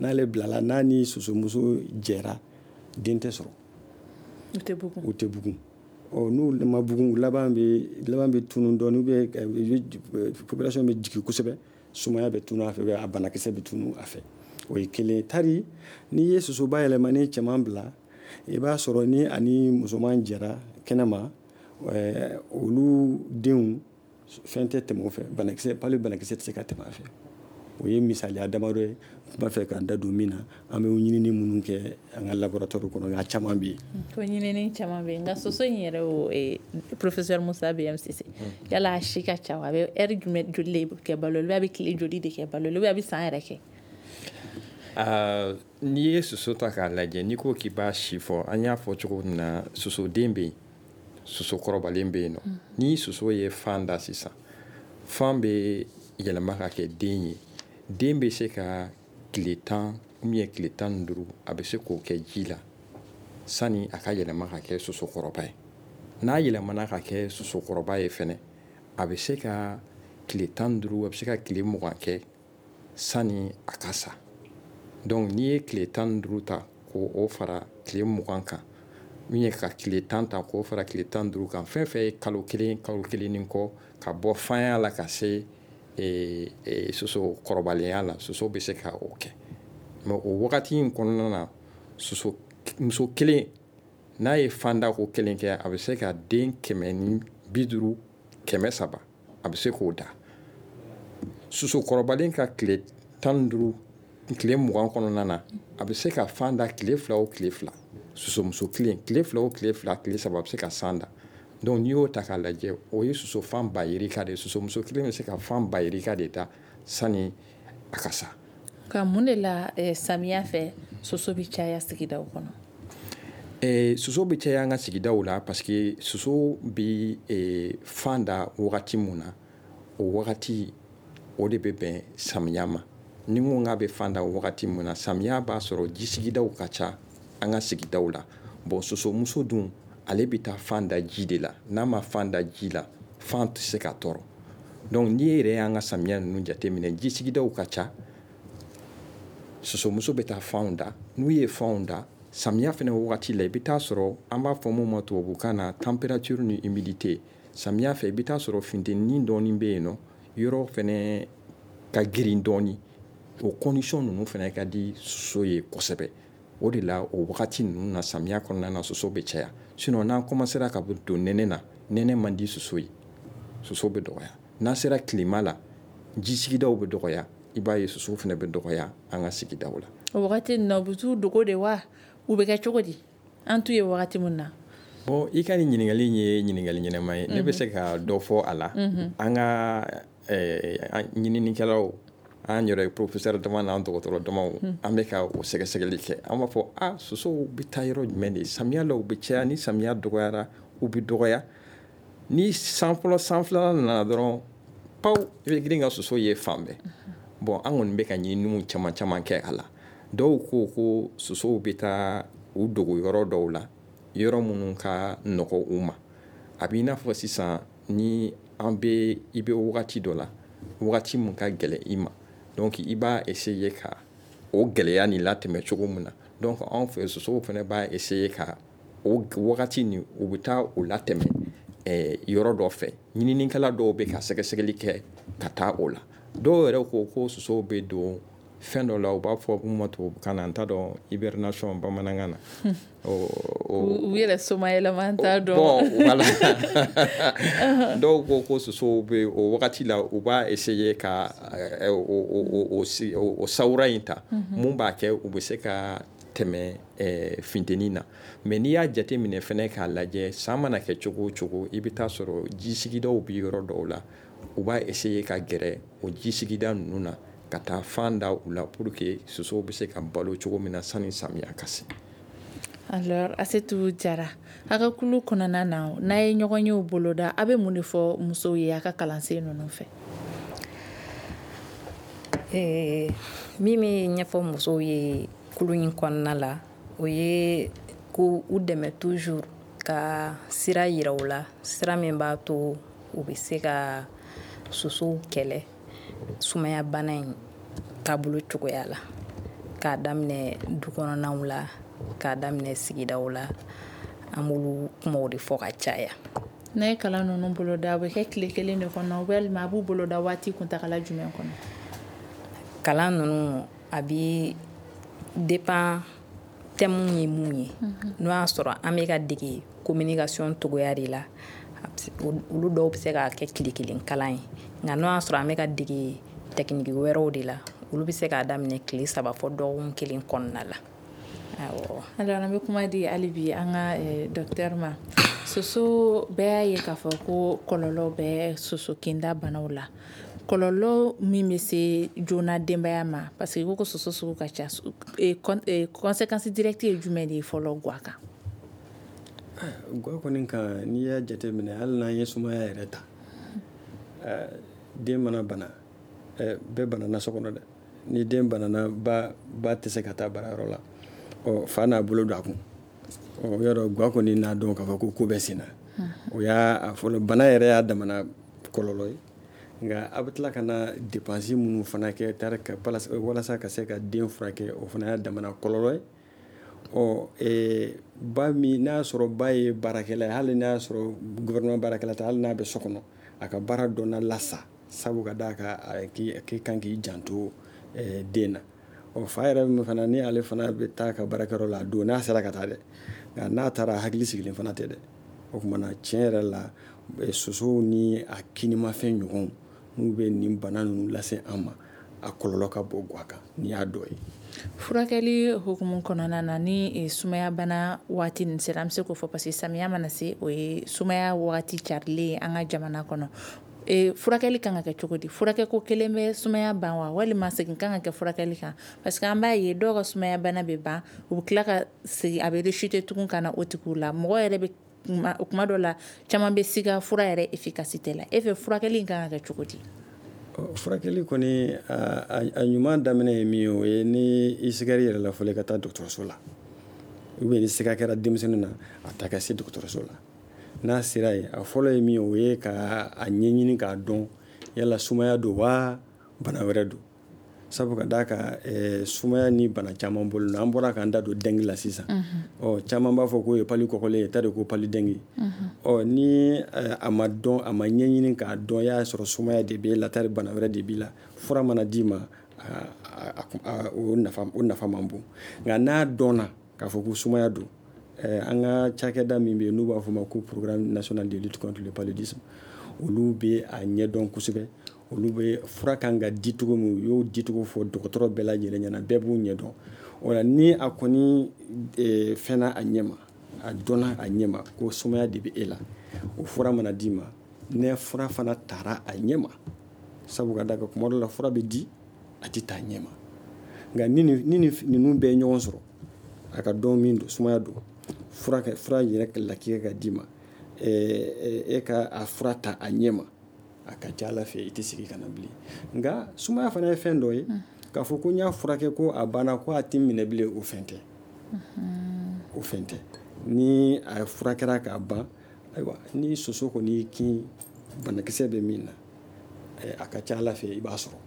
N'ale bilala, n'a ni sosomuso jɛra, den tɛ sɔrɔ. U tɛ bugun. U tɛ bugun. Ɔ n'u ma bugun, laban bɛ laban bɛ tunun dɔɔnin, ou bien population bɛ jigin kosɛbɛ, sumaya bɛ tunun a fɛ, a banakisɛ bɛ tunun a fɛ. O ye kelen. Tari n'i ye soso bayɛlɛmalen cɛman bila, i b'a sɔrɔ ni ani musoman jɛra kɛnɛma, olu denw fɛn tɛ tɛmɛ o fɛ, banakisɛ pali banakisɛ tɛ se ka tɛmɛ a fɛ. O ye misaliya damadɔ ye, n b'a fɛ k'an da don min na, an bɛ ɲinini minnu kɛ an ka laboratoire kɔnɔ, nka caman bɛ yen. Ko ɲinini caman bɛ yen, nka soso in yɛrɛ, o professeur Musa B M Cissé, yala a si ka ca wa? A bɛ ɛri jumɛn joli de kɛ balo la, a bɛ tile joli de kɛ balo la, a bɛ san yɛrɛ kɛ? N'i ye soso ta k'a lajɛ, n'i ko k'i b'a si fɔ, an y'a fɔ cogo min na, sosoden bɛ yen, soso kɔrɔbalen bɛ yen nɔ. Ni soso ye fan da sisan, fan bɛ yɛlɛma ka kɛ den ye. Den bɛ se ka tile tan ou bien tile tan ni duuru, a bɛ se k'o kɛ ji la sani a ka yɛlɛma ka kɛ sosokɔrɔba ye. N'a yɛlɛmana ka kɛ sosokɔrɔba ye fɛnɛ, a bɛ se ka tile tan ni duuru, a bɛ se ka tile mugan kɛ sani a ka sa. Donc n'i ye tile tan ni duuru ta k'o fara tile mugan kan, min ye ka tile tan ta k'o fara tile tan ni duuru kan, fɛn fɛn ye kalo kelen, kalo kelen ni kɔ, ka bɔ fanya la ka se e, e, soso kɔrɔbalenya la, soso bɛ se ka o kɛ. Mais o wagati in kɔnɔna na, soso muso kelen n'a ye fanda ko kelen kɛ, a bɛ se ka den kɛmɛ ni bi duuru, kɛmɛ saba, a bɛ se k'o da. Soso kɔrɔbalen ka tile tan ni duuru, tile mugan kɔnɔna na, a bɛ se ka fan da tile fila o tile fila. Sosomuso kelen, tile fila o tile fila, tile saba, a bɛ se ka san da. Donc n'i y'o ta k'a lajɛ, o ye soso fan ba yirika de ye. Sosomuso kelen bɛ se ka fan ba yirika de da sani a ka sa. Ka mun de la eh, samiya fɛ soso bɛ caya sigidaw kɔnɔ? Eh, soso bɛ caya an ka sigidaw la parce que soso bɛ eh, fan da wagati mun na, o wagati o de bɛ bɛn samiya ma. Ni n ko k'a bɛ fan da wagati mun na, samiya b'a sɔrɔ ji sigidaw ka ca an ka sigidaw la. Bon, sosomuso dun, ale bɛ taa fan da ji de la. N'a ma fan da ji la, fan tɛ se ka tɔɔrɔ. Donc n'i yɛrɛ y'an ka samiya ninnu jateminɛ, ji sigidaw ka ca, sosomuso bɛ taa fanw da. N'u ye fanw da, Samiya fɛnɛ wagati la, i bɛ taa sɔrɔ an b'a fɔ mun ma tubabukan na température ni humidité. Samiya fɛ, i bɛ taa sɔrɔ funteni dɔɔni bɛ yen nɔ, yɔrɔ fɛnɛ ka girin dɔɔni. O condition ninnu fɛnɛ ka di soso ye kosɛbɛ. O de la, o wagati ninnu na, samiya kɔnɔna na, soso bɛ caya. Sinon n'an commencera ka don nɛnɛ na, nɛnɛ man di soso ye, soso bɛ dɔgɔya. N'an sera tilema la, ji sigidaw bɛ dɔgɔya, i b'a ye soso fɛnɛ bɛ dɔgɔya an ka sigidaw la. O wagati ninnu na, u bɛ t'u dogo de wa, u bɛ kɛ cogo di? An t'u ye wagati min na. Bon, i ka nin ɲininkali ye ɲininkali ɲɛnama ye. Ne bɛ se ka dɔ fɔ a la. An ka ɲininikɛlaw, an yɛrɛ professeur dama n'an dɔgɔtɔrɔ damaw, an bɛ ka o sɛgɛsɛgɛli kɛ. An b'a fɔ a sosow bɛ taa yɔrɔ jumɛn de? Samiya la u bɛ caya, ni samiya dɔgɔyara u bɛ dɔgɔya. Ni san fɔlɔ, san filanan nana dɔrɔn, paw, i bɛ girin ka soso ye fan bɛɛ. Bon, an kɔni bɛ ka ɲininiw caman caman kɛ a la. Dɔw ko ko sosow bɛ taa u dogo yɔrɔ dɔw la, yɔrɔ minnu ka nɔgɔ u ma. A b'i n'a fɔ sisan ni an bɛ i bɛ wagati dɔ la, wagati min ka gɛlɛn i ma, donc i b'a essayer ka o gɛlɛya nin latɛmɛ cogo min na. Donc anw fɛ, sosow fana b'a essayer ka o wagati nin, u bɛ taa o latɛmɛ yɔrɔ dɔ fɛ. Ɲininikɛla dɔw bɛ ka sɛgɛsɛgɛli kɛ ka taa o la. Dɔw yɛrɛ ko ko sosow bɛ don fɛn dɔ la, u b'a fɔ mun ma tubabukan na, n t'a dɔn hibernation bamanankan na. U yɛrɛ somayɛlɛma, n t'a dɔn. Bon, voilà, dɔw ko ko sosow bɛ o wagati la, u b'a essayer ka o o sawura in ta, mun b'a kɛ u bɛ se ka tɛmɛ funteni na. Mais n'i y'a jateminɛ fɛnɛ k'a lajɛ, san mana kɛ cogo o cogo, i bɛ taa sɔrɔ ji sigidaw bɛ yɔrɔ dɔw la, u b'a essayer ka gɛrɛ o ji sigida ninnu na, ka taa fan da u la pour que sosow bɛ se ka balo cogo min na sani samiya ka se. Alors, Asetu Jara, a ka kulu kɔnɔna na, n'a ye ɲɔgɔn yew boloda, a bɛ mun de fɔ musow ye a ka kalansen ninnu fɛ? Ee, min bɛ ɲɛfɔ musow ye kulu in kɔnɔna la, o ye ko u dɛmɛ toujours, ka sira yira u la, sira min b'a to u bɛ se ka sosow kɛlɛ sumaya bana in taabolo cogoya la, k'a daminɛ du kɔnɔnaw la, k'a daminɛ sigidaw la. An b'olu kumaw de fɔ ka caya. N'a ye kalan ninnu boloda, a bɛ kɛ tile kelen de kɔnɔ, walima a b'u boloda waati kuntagala jumɛn kɔnɔ? Kalan ninnu a bɛ dépend thème ye mun ye. N'o y'a sɔrɔ an bɛ ka dege communication cogoya de la, olu dɔw bɛ se ka kɛ tile kelen kalan ye. Nka n'o y'a sɔrɔ an bɛ ka dege technique wɛrɛw de la, olu bɛ se k'a daminɛ tile saba fɔ dɔgɔkun kelen kɔnɔna la. Awɔ. Alors, an bɛ kuma di hali bi an ka docteur ma. Soso, bɛɛ y'a ye k'a fɔ ko kɔlɔlɔ bɛ soso kinda banaw la. Kɔlɔlɔ min bɛ se joona denbaya ma, parce que i ko ko soso sugu ka ca, conséquence directe ye jumɛn de ye fɔlɔ guwa kan? Guwa kɔni kan, n'i y'a jateminɛ, hali n'an ye sumaya yɛrɛ ta, den mana bana, bɛɛ banana so kɔnɔ dɛ. Ni den banana, ba ba tɛ se ka taa baarayɔrɔ la, ɔ fa n'a bolo don a kun. Ɔ yɔrɔ guwa kɔni n'a dɔn k'a fɔ ko ko bɛ sen na, o y'a fɔlɔ. Bana yɛrɛ y'a damana kɔlɔlɔ ye. Nka a bɛ tila ka na dépense minnu fana kɛ tari ka walasa ka se ka den furakɛ, o fana y'a damana kɔlɔlɔ ye. Ɔ ba min n'a y'a sɔrɔ ba ye baarakɛla ye, hali n'a y'a sɔrɔ gouvernement baarakɛla tɛ, hali n'a bɛ so kɔnɔ, a ka baara dɔ na lasa, sabu ka d'a kan k'i kan k'i janto den na. Ɔ fa yɛrɛ min fana, ni ale fana bɛ taa ka baarakɛyɔrɔ la a don, n'a sera ka taa dɛ, nka n'a taara, hakili sigilen fana tɛ dɛ. O tuma na, tiɲɛ yɛrɛ la, sosow ni a kinimafɛn ɲɔgɔnw n'u bɛ nin bana ninnu lase an ma, a kɔlɔlɔ ka bon guwa kan. N'i y'a dɔ ye. Furakɛli hukumu kɔnɔna na, ni sumaya bana waati nin sera, an bɛ se k'o fɔ, parce que samiya mana se, o ye sumaya waati carilen ye an ka jamana kɔnɔ. E, furakɛli kan ka kɛ cogo di? Furakɛko kelen bɛ sumaya ban wa, walima segin kan ka kɛ furakɛli kan? Parce que an b'a ye dɔw ka sumaya bana bɛ ban, u bɛ tila ka segin, a bɛ rechuter tugun ka na o tigiw la. Mɔgɔ yɛrɛ bɛ kuma dɔ la, caman bɛ siga fura yɛrɛ efficacité la. E fɛ, furakɛli in kan ka kɛ cogo di? Furakɛli kɔni, a ɲuman daminɛ ye min ye, o ye ni i sigar'i yɛrɛ la fɔlɔ, i ka taa dɔgɔtɔrɔso la. Ou bien ni siga kɛra denmisɛnnin na, a ta ka se dɔgɔtɔrɔso la. N'a sera yen, a fɔlɔ ye min ye, o ye ka a ɲɛɲini k'a dɔn yala sumaya don wa bana wɛrɛ don. Sabu ka d'a kan sumaya ni bana caman bolo an bɔra k'an da don dengue la sisan. Ɔ caman b'a fɔ k'o ye palu kɔkɔlen ye, t'a de ko palu dengue. Ɔ ni a ma dɔn, a ma ɲɛɲini k'a dɔn, y'a sɔrɔ sumaya de b'e la, tari bana wɛrɛ de b'i la, fura mana d'i ma, o nafa o nafa man bon. Nka n'a dɔnna k'a fɔ ko sumaya don, an ka cakɛda min bɛ yen n'u b'a fɔ ma ko programme national de lutte contre le paludisme, olu bɛ a ɲɛdɔn kosɛbɛ. Olu bɛ fura kan ka di cogo min, u y'o dicogo fɔ dɔgɔtɔrɔ bɛɛ lajɛlen ɲɛna, bɛɛ b'u ɲɛdɔn. O la ni a kɔni fɛnna a ɲɛ ma, a dɔnna a ɲɛ ma ko sumaya de bɛ e la, o fura mana d'i ma, ne fura fana taara a ɲɛ ma, sabu ka d'a kan kuma dɔ la fura bɛ di a tɛ taa ɲɛ ma. Nka ni ni ninnu bɛɛ ye ɲɔgɔn sɔrɔ, a ka dɔn min don, sumaya don, fura fura yɛrɛ latigɛ ka d'i ma, e ka a fura ta a ɲɛ ma, a ka ca Ala fɛ i tɛ sigi ka na bilen. Nka sumaya fana ye fɛn dɔ ye, k'a fɔ ko n y'a furakɛ ko a banna ko a tɛ minɛ bilen, o fɛn tɛ. O fɛn tɛ. Ni a furakɛra k'a ban, ayiwa, ni soso kɔni y'i kin banakisɛ bɛ min na, a ka ca Ala fɛ i b'a sɔrɔ.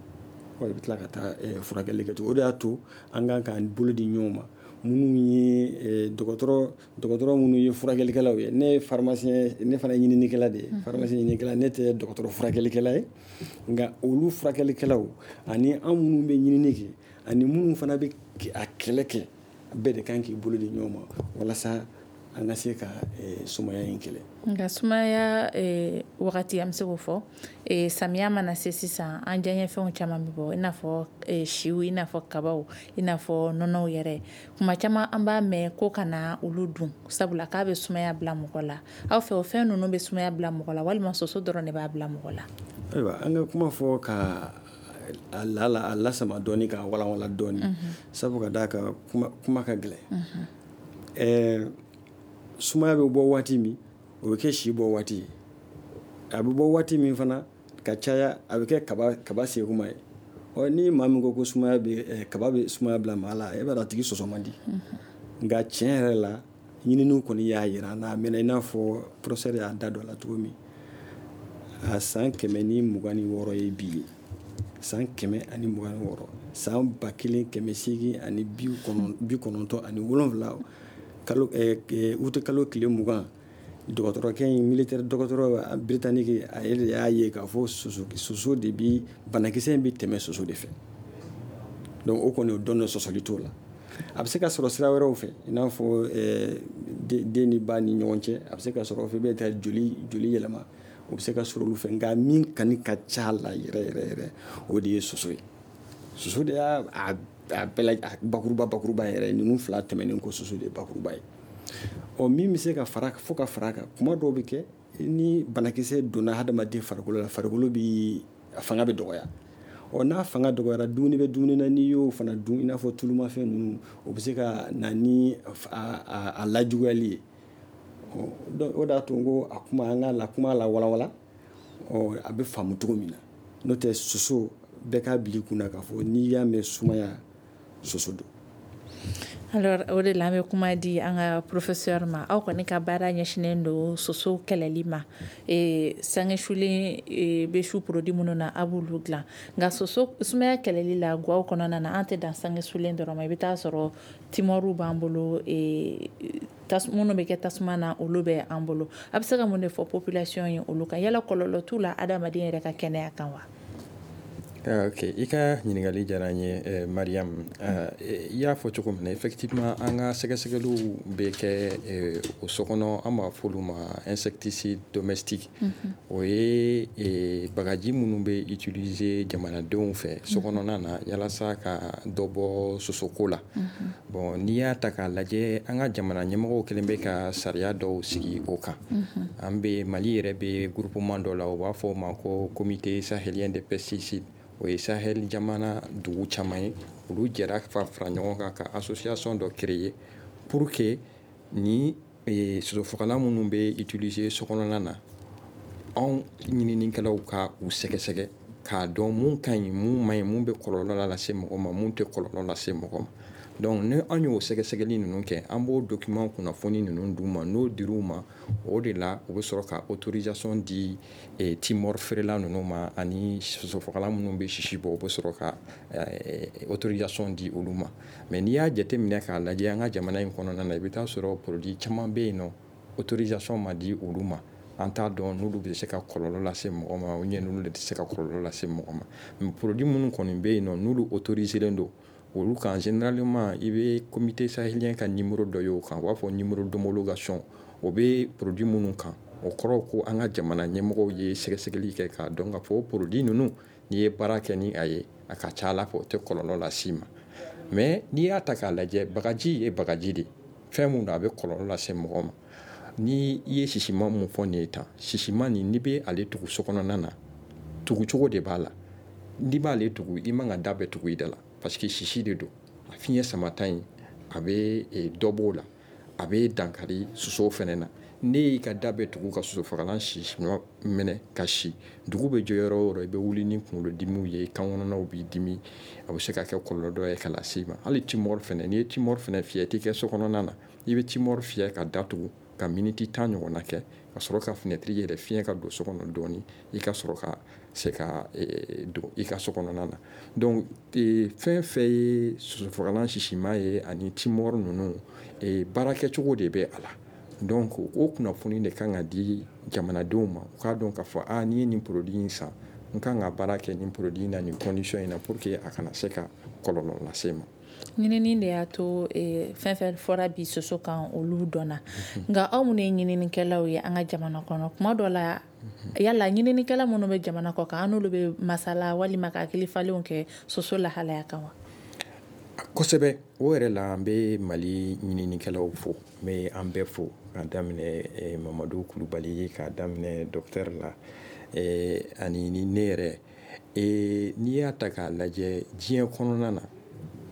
Ɔ i bɛ tila ka taa furakɛli kɛ tugun. O de y'a to an kan k'an bolo di ɲɔgɔn ma. Minnu ye dɔgɔtɔrɔ dɔgɔtɔrɔ minnu ye furakɛlikɛlaw ye, ne ye pharmacien, ne fana ye ɲininikɛla de ye, pharmacien ɲininikɛla, ne tɛ dɔgɔtɔrɔ furakɛlikɛla ye. Nka olu furakɛlikɛlaw ani an minnu bɛ ɲinini kɛ ani minnu fana bɛ a kɛlɛ kɛ, bɛɛ de kan k'i bolo di ɲɔgɔn ma walasa an ka se ka sumaya in kɛlɛ. Nka sumaya wagati, an bɛ se k'o fɔ, samiya mana se sisan, an diyaɲɛfɛnw caman bɛ bɔ, i n'a fɔ siw, i n'a fɔ kabaw, i n'a fɔ nɔnɔw yɛrɛ. Kuma caman an b'a mɛn ko ka na olu dun, sabula k'a bɛ sumaya bila mɔgɔ la. Aw fɛ o fɛn ninnu bɛ sumaya bila mɔgɔ la, walima soso dɔrɔn de b'a bila mɔgɔ la? Ayiwa, an ka kuma fɔ ka a la a lasama dɔɔni, k'a walawala dɔɔni, sabu ka d'a kan kuma kuma ka gɛlɛn. Ɛɛ sumaya bɛ bɔ waati min, o bɛ kɛ si bɔ waati ye. A bɛ bɔ waati min fana ka caya, a bɛ kɛ kaba kaba sekuma ye. Ɔ ni maa min ko ko sumaya bɛ kaba bɛ sumaya bila maa la, e b'a dɔn a tigi sɔsɔ man di. Nka tiɲɛ yɛrɛ la, ɲininiw kɔni y'a jira n'a mɛnna, i n'a fɔ professeur y'a da don a la cogo min, a san kɛmɛ ni mugan ni wɔɔrɔ ye bi ye. San kɛmɛ ani mugan ni wɔɔrɔ, san ba kelen kɛmɛ seegin ani bi kɔnɔntɔn ani wolonwula, kalo uti kalo tile mugan, dɔgɔtɔrɔkɛ in, militaire dɔgɔtɔrɔ britannique, a yɛrɛ de y'a ye k'a fɔ soso soso de bi banakisɛ in bɛ tɛmɛ soso de fɛ. Donc o kɔni o dɔn sɔsɔli t'o la. A bɛ se ka sɔrɔ sira wɛrɛw fɛ, i n'a fɔ den ni ba ni ɲɔgɔn cɛ, a bɛ se ka sɔrɔ o fɛ, i bɛ taa joli joli yɛlɛma, o bɛ se ka sɔrɔ olu fɛ. Nka min kani ka ca la yɛrɛ yɛrɛ yɛrɛ, o de ye soso ye. Soso de y'a a bɛɛ la bakuruba bakuruba yɛrɛ, ninnu fila tɛmɛnen kɔ, soso de ye bakuruba ye. Ɔ min bɛ se ka fara fo ka fara kan, kuma dɔw bɛ kɛ ni banakisɛ donna hadamaden farikolo la, farikolo bi a fanga bɛ dɔgɔya. Ɔ n'a fanga dɔgɔyara, dumuni bɛ dumuni na, n'i y'o fana dun, i n'a fɔ tulumafɛn ninnu, o bɛ se ka na ni a, a, a lajuguyali ye. Ɔ o de y'a to n ko a kuma an k'a la kuma la walawala, ɔ a bɛ faamu cogo min na. N'o tɛ soso bɛɛ k'a bila i kunna k'a fɔ n'i y'a mɛn sumaya, soso don. Alors o de la an bɛ kuma di an ka professeur ma. Aw kɔni ka baara ɲɛsinnen don soso kɛlɛli ma. E, sange sulen e, bɛ su produit minnu na, a b'olu dilan. Nka soso sumaya kɛlɛli la gaw kɔnɔna na, an tɛ dan sange sulen dɔrɔn ma. I bɛ taa sɔrɔ timɔriw b'an bolo, e, tas, minnu bɛ kɛ tasuma na, olu bɛ an bolo. A bɛ se ka mun de fɔ population ye olu kan? Yala kɔlɔlɔ t'u la adamaden yɛrɛ ka kɛnɛya kan wa? Ok, i ka ɲininkali diyara n ye, Mariam. I y'a fɔ cogo min na, effectivement an ka sɛgɛsɛgɛliw bɛ kɛ o so kɔnɔ, an b'a fɔ olu ma insecticide domestique. O ye bagaji minnu bɛ utiliser jamanadenw fɛ so kɔnɔna na yalasa ka dɔ bɔ sosoko la. Bon, n'i y'a ta k'a lajɛ, an ka jamana ɲɛmɔgɔw kɛlen bɛ ka sariya dɔw sigi o kan. An bɛ Mali yɛrɛ bɛ groupement dɔ la, u b'a fɔ o ma ko comité sahélien des pesticides. O ye Sahel jamana dugu caman ye, olu jɛra ka fara ɲɔgɔn kan ka association dɔ créer pour que ni sosofagalan minnu bɛ utiliser so kɔnɔna na, anw ɲininikɛlaw ka u sɛgɛsɛgɛ k'a dɔn mun ka ɲi, mun man ɲi, mun bɛ kɔlɔlɔ lase mɔgɔ ma, mun tɛ kɔlɔlɔ lase mɔgɔ ma. Donc ni an y'o sɛgɛsɛgɛli ninnu kɛ, an b'o document kunnafoni ninnu d'u ma. N'o dir'u ma, o de la u bɛ sɔrɔ ka autorisation di eh, timɔri feerela ninnu ma, ani sosofagalan minnu bɛ sisi bɔ, u bɛ sɔrɔ ka eh, autorisation di olu ma. Mais n'i y'a jateminɛ k'a lajɛ an ka jamana in kɔnɔna na, i bɛ taa sɔrɔ produit caman bɛ yen nɔ, autorisation ma di olu ma. An t'a dɔn n'olu bɛ se ka kɔlɔlɔ lase mɔgɔ ma ou bien n'olu tɛ se ka kɔlɔlɔ lase mɔgɔ ma. Mais produit minnu kɔni bɛ yen nɔ, n'olu autoriselen don, olu kan, généralement i bɛ comité sahélien ka numéro dɔ ye o kan, u b'a fɔ numéro d'homologation. O bɛ produit minnu kan, o kɔrɔ ko an ka jamana ɲɛmɔgɔw ye sɛgɛsɛgɛli kɛ k'a dɔn k'a fɔ o produit ninnu, n'i ye baara kɛ ni a ye, a ka ca Ala fɛ o tɛ kɔlɔlɔ las'i ma. Mais n'i y'a ta k'a lajɛ, bagaji ye bagaji de, fɛn mun don, a bɛ kɔlɔlɔ lase mɔgɔ ma. Ni i ye sisiman mun fɔ nin ye tan, sisiman nin, n'i bɛ ale tugu so kɔnɔna na, tugucogo de b'a la. N'i b'ale tugu, i man ka da bɛɛ tugu i da la, parce que sisi de don. A fiɲɛ samata in, a bɛ dɔ b'o la, a bɛ dankari sosow fɛnɛ na. Ne y'i ka da bɛɛ tugu ka sosofagalan sisi minɛ ka si, dugu bɛ jɔ yɔrɔ o yɔrɔ, i bɛ wuli ni kunkolodimiw ye, kan kɔnɔnaw b'i dimi, a bɛ se ka kɛ kɔlɔlɔ dɔ ye ka lase i ma. Hali timɔri fɛnɛ, n'i ye timɔri fɛnɛ fiyɛ, i t'i kɛ so kɔnɔna na, i bɛ timɔri fiyɛ ka datugu ka miniti tan ɲɔgɔnna kɛ, ka sɔrɔ ka fenêtre yɛlɛ, fiɲɛ ka don so kɔnɔ dɔɔni, i ka sɔrɔ ka se ka don i ka so kɔnɔna na. Donc fɛn fɛn ye sosofagalan sisima ye ani timɔri ninnu, baarakɛcogo de bɛ a la. Donc o kunnafoni de kan ka di jamanadenw ma, u k'a dɔn k'a fɔ a n'i ye nin produit in san, n kan ka baara kɛ nin produit in na nin condition in na pour que a kana se ka kɔlɔlɔ lase ma. Ɲinini de y'a to fɛn fɛn fɔra bi soso kan, olu dɔnna. Nka aw minnu ye ɲininikɛlaw ye an ka jamana kɔnɔ, kuma dɔ la yala ɲininikɛla minnu bɛ jamana kɔ kan, an n'olu bɛ masala walima ka hakili falenw kɛ soso lahalaya kan wa? Kosɛbɛ. O yɛrɛ la, an bɛ Mali ɲininikɛlaw fo, n bɛ an bɛɛ fo, k'a daminɛ Mamadu Kulubali, k'a daminɛ docteur la, ani ni ne yɛrɛ. N'i y'a ta k'a lajɛ diɲɛ kɔnɔna na,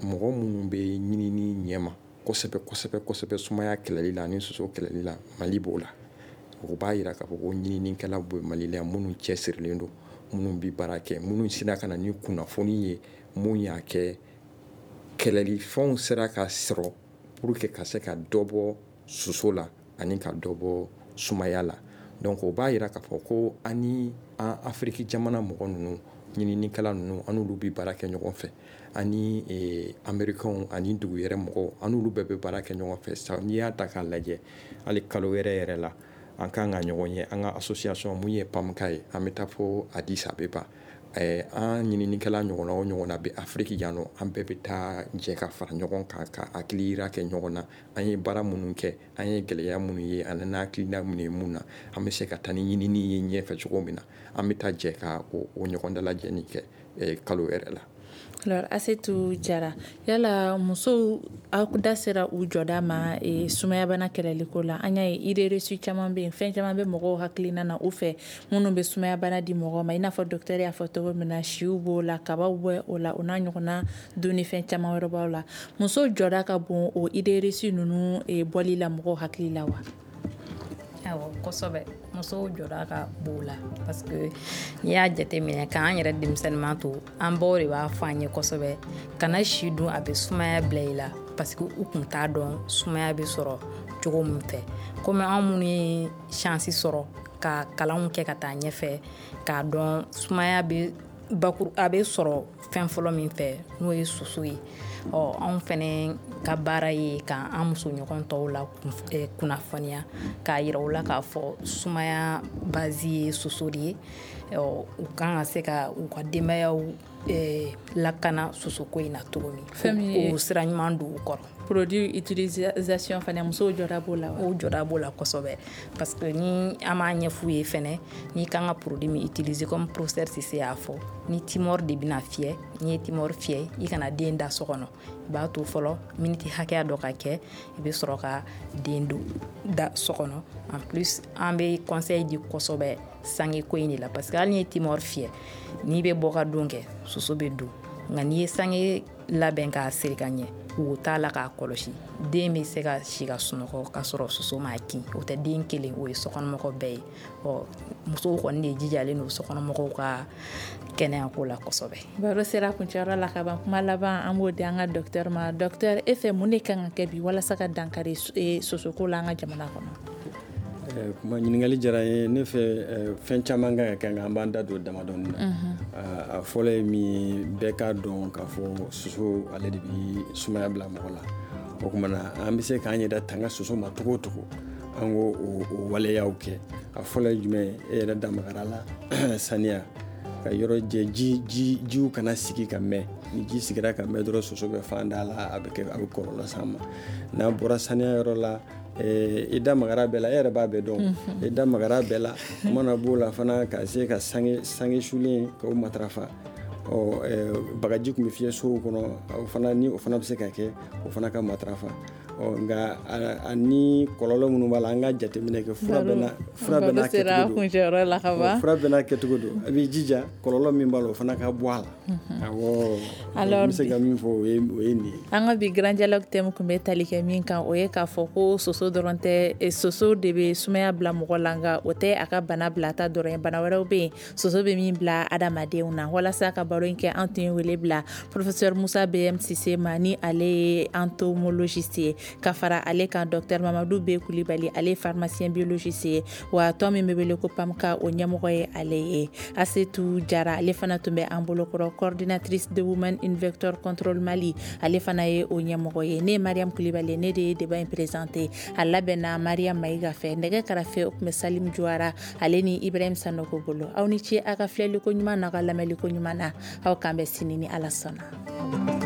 mɔgɔ minnu bɛ ɲinini ɲɛma kosɛbɛ kosɛbɛ kosɛbɛ sumaya kɛlɛli la ani soso kɛlɛli la, Mali b'o la. O b'a yira k'a fɔ ko ɲininikɛlaw bɛ Mali la minnu cɛsirilen don, minnu bɛ baara kɛ, minnu sera ka na ni kunnafoni ye, mun y'a kɛ kɛlɛli fɛnw sera ka sɔrɔ pour que ka se ka dɔ bɔ soso la ani ka dɔ bɔ sumaya la. Donc o b'a yira k'a fɔ ko an ni an Afiriki jamana mɔgɔ ninnu, ɲininikɛla ninnu, an n'olu bɛ baara kɛ ɲɔgɔn fɛ, ani américains ani dugu yɛrɛ mɔgɔw, an n'olu bɛɛ bɛ baara kɛ ɲɔgɔn fɛ. N'i y'a ta k'a lajɛ, hali kalo wɛrɛ yɛrɛ la, an kan ka ɲɔgɔn ye an ka association mun ye PAMKA ye, an bɛ taa fo Addis Abeba. An ɲininikɛla ɲɔgɔnna o ɲɔgɔnna bɛ Afiriki yan nɔ, an bɛɛ bɛ taa jɛ ka fara ɲɔgɔn kan ka hakili yira kɛ ɲɔgɔn na. An ye baara minnu kɛ, an ye gɛlɛya minnu ye, ani n'an hakilina minnu ye mun na, an bɛ se ka taa ni ɲinini ye ɲɛfɛ cogo min na, an bɛ taa jɛ ka o ɲɔgɔn dalajɛ kɛ kalo yɛrɛ la. Alors Asetu Jara, yala musow aw da sera u jɔda ma e, sumayabana kɛlɛliko la? An y'a ye idée reçue caman bɛ yen, fɛn caman bɛ mɔgɔw hakilina na u fɛ minnu bɛ sumayabana di mɔgɔw ma, i n'a fɔ docteur y'a fɔ cogo min na, siw b'o la, kabaw bɛ o la, o n'a ɲɔgɔnna dunnifɛn caman wɛrɛ b'aw la. Musow jɔda ka bon o idée reçue ninnu e, bɔli la mɔgɔw hakili la wa? Awɔ, kosɛbɛ. Musow jɔda ka bon la, parce que n'i y'a jateminɛ k'an yɛrɛ denmisɛnninman to, an baw de b'a fɔ an ye kosɛbɛ, kana si dun, a bɛ sumaya bila i la, parce que u kun t'a dɔn sumaya bɛ sɔrɔ cogo min fɛ. Komi an minnu ye chance sɔrɔ ka kalanw kɛ ka taa ɲɛfɛ, k'a dɔn sumaya bɛ bakuru, a bɛ sɔrɔ fɛn fɔlɔ min fɛ, n'o ye soso ye. Ɔ anw fɛnɛ ka baara ye k'an muso ɲɔgɔn tɔw la kunnafoniya, k'a yira u la k'a fɔ sumaya base ye soso de ye. Ɔ u kan ka se ka u ka denbayaw lakana sosoko in na cogo min, fɛn min ye o sira ɲuman don u kɔrɔ. Produit utilisation fana, musow jɔda b'o la wa? O jɔda b'o la kosɛbɛ, parce que ni an b'a ɲɛf'u ye fɛnɛ, n'i kan ka produit min utiliser, comme professeur Sise y'a fɔ, ni timɔri de bɛna fiyɛ, n'i ye timɔri fiyɛ, i kana den da so kɔnɔ, i b'a to fɔlɔ miniti hakɛya dɔ ka kɛ, i bɛ sɔrɔ ka den don da so kɔnɔ. En plus an bɛ conseil di kosɛbɛ sange ko in de la, parce que hali n'i ye timɔri fiyɛ, n'i bɛ bɔ ka don kɛ, soso bɛ don. Nka n'i ye sange labɛn k'a siri ka ɲɛ, Wo t'a la k'a kɔlɔsi, den bɛ se ka si ka sunɔgɔ k'a sɔrɔ soso m'a kin. O tɛ den kelen, o ye sokɔnɔmɔgɔ bɛɛ ye. Ɔ musow kɔni de jijalen don sokɔnɔmɔgɔw ka kɛnɛyako la kosɛbɛ. Baro sera kuncɛyɔrɔ la ka ban. Kuma laban an b'o di an ka docteur ma. Docteur, e fɛ mun de kan ka kɛ bi walasa ka dankari sosoko la an ka jamana kɔnɔ? Kuma ɲininkali diyara n ye. Ne fɛ, fɛn caman kan ka kɛ, nka an b'an da don damadɔni na. A fɔlɔ ye min ye, bɛɛ k'a dɔn k'a fɔ soso ale de bɛ sumaya bila mɔgɔ la. O tuma na, an bɛ se k'an yɛrɛ tanga soso ma cogo o cogo, an k'o o waleyaw kɛ. A fɔlɔ ye jumɛn ye? E yɛrɛ da magara la, saniya, ka yɔrɔ jɛ, ji ji jiw kana sigi ka mɛn. Ni ji sigira ka mɛn dɔrɔn, soso bɛ fan da la, a bɛ kɛ a bɛ kɔlɔlɔ s'an ma. N'an bɔra saniya yɔrɔ la, i da magara bɛɛ la, e yɛrɛ b'a bɛɛ dɔn, i da magara bɛɛ la. A mana b'o la fana, ka se ka sange sange sulen k'o matarafa. Ɔ bagaji tun bɛ fiyɛ sow kɔnɔ, o fana ni o fana bɛ se ka kɛ, o fana ka matarafa. Ɔ nka a ni kɔlɔlɔ minnu b'a la, an ka jateminɛ kɛ, fura bɛɛ n'a fura bɛɛ n'a kɛcogo don, fura bɛɛ n'a kɛcogo don. A b'i jija kɔlɔlɔ min b'a la, o fana ka bɔ a la. Awɔ, n bɛ se ka min fɔ, o ye o ye nin ye. An ka bi Grand Dialogue thème tun bɛ tali kɛ min kan, o ye k'a fɔ ko soso dɔrɔn tɛ, soso de bɛ sumaya bila mɔgɔ la, nka o tɛ a ka bana bilata dɔrɔn ye. Bana wɛrɛw bɛ yen soso bɛ min bila adamadenw na. Walasa ka baro in kɛ, an tun ye wele bila professeur Musa B M Sise ma, ni ale ye entomologiste ye, ka fara ale kan docteur Mamadou B Kulibali, ale ye pharmacien biologiste ye, wa tɔn min bɛ wele ko PAMKA, o ɲɛmɔgɔ ye ale ye. Asetu Jara, ale fana tun bɛ an bolokɔrɔ, coordinatrice de Women in Vector Control Mali, ale fana ye o ɲɛmɔgɔ ye. Ne ye Mariam Kulibali, ne de ye débat in présenté. A labɛnna Mariam Mayiga fɛ. Nɛgɛ karafe, o tun bɛ Salim Juwara ale ni Ibrahim Sanoko bolo. Aw ni ce a ka filɛliko ɲuman n'a ka lamɛnliko ɲuman na. Aw k'an bɛn sini ni Ala sɔnna.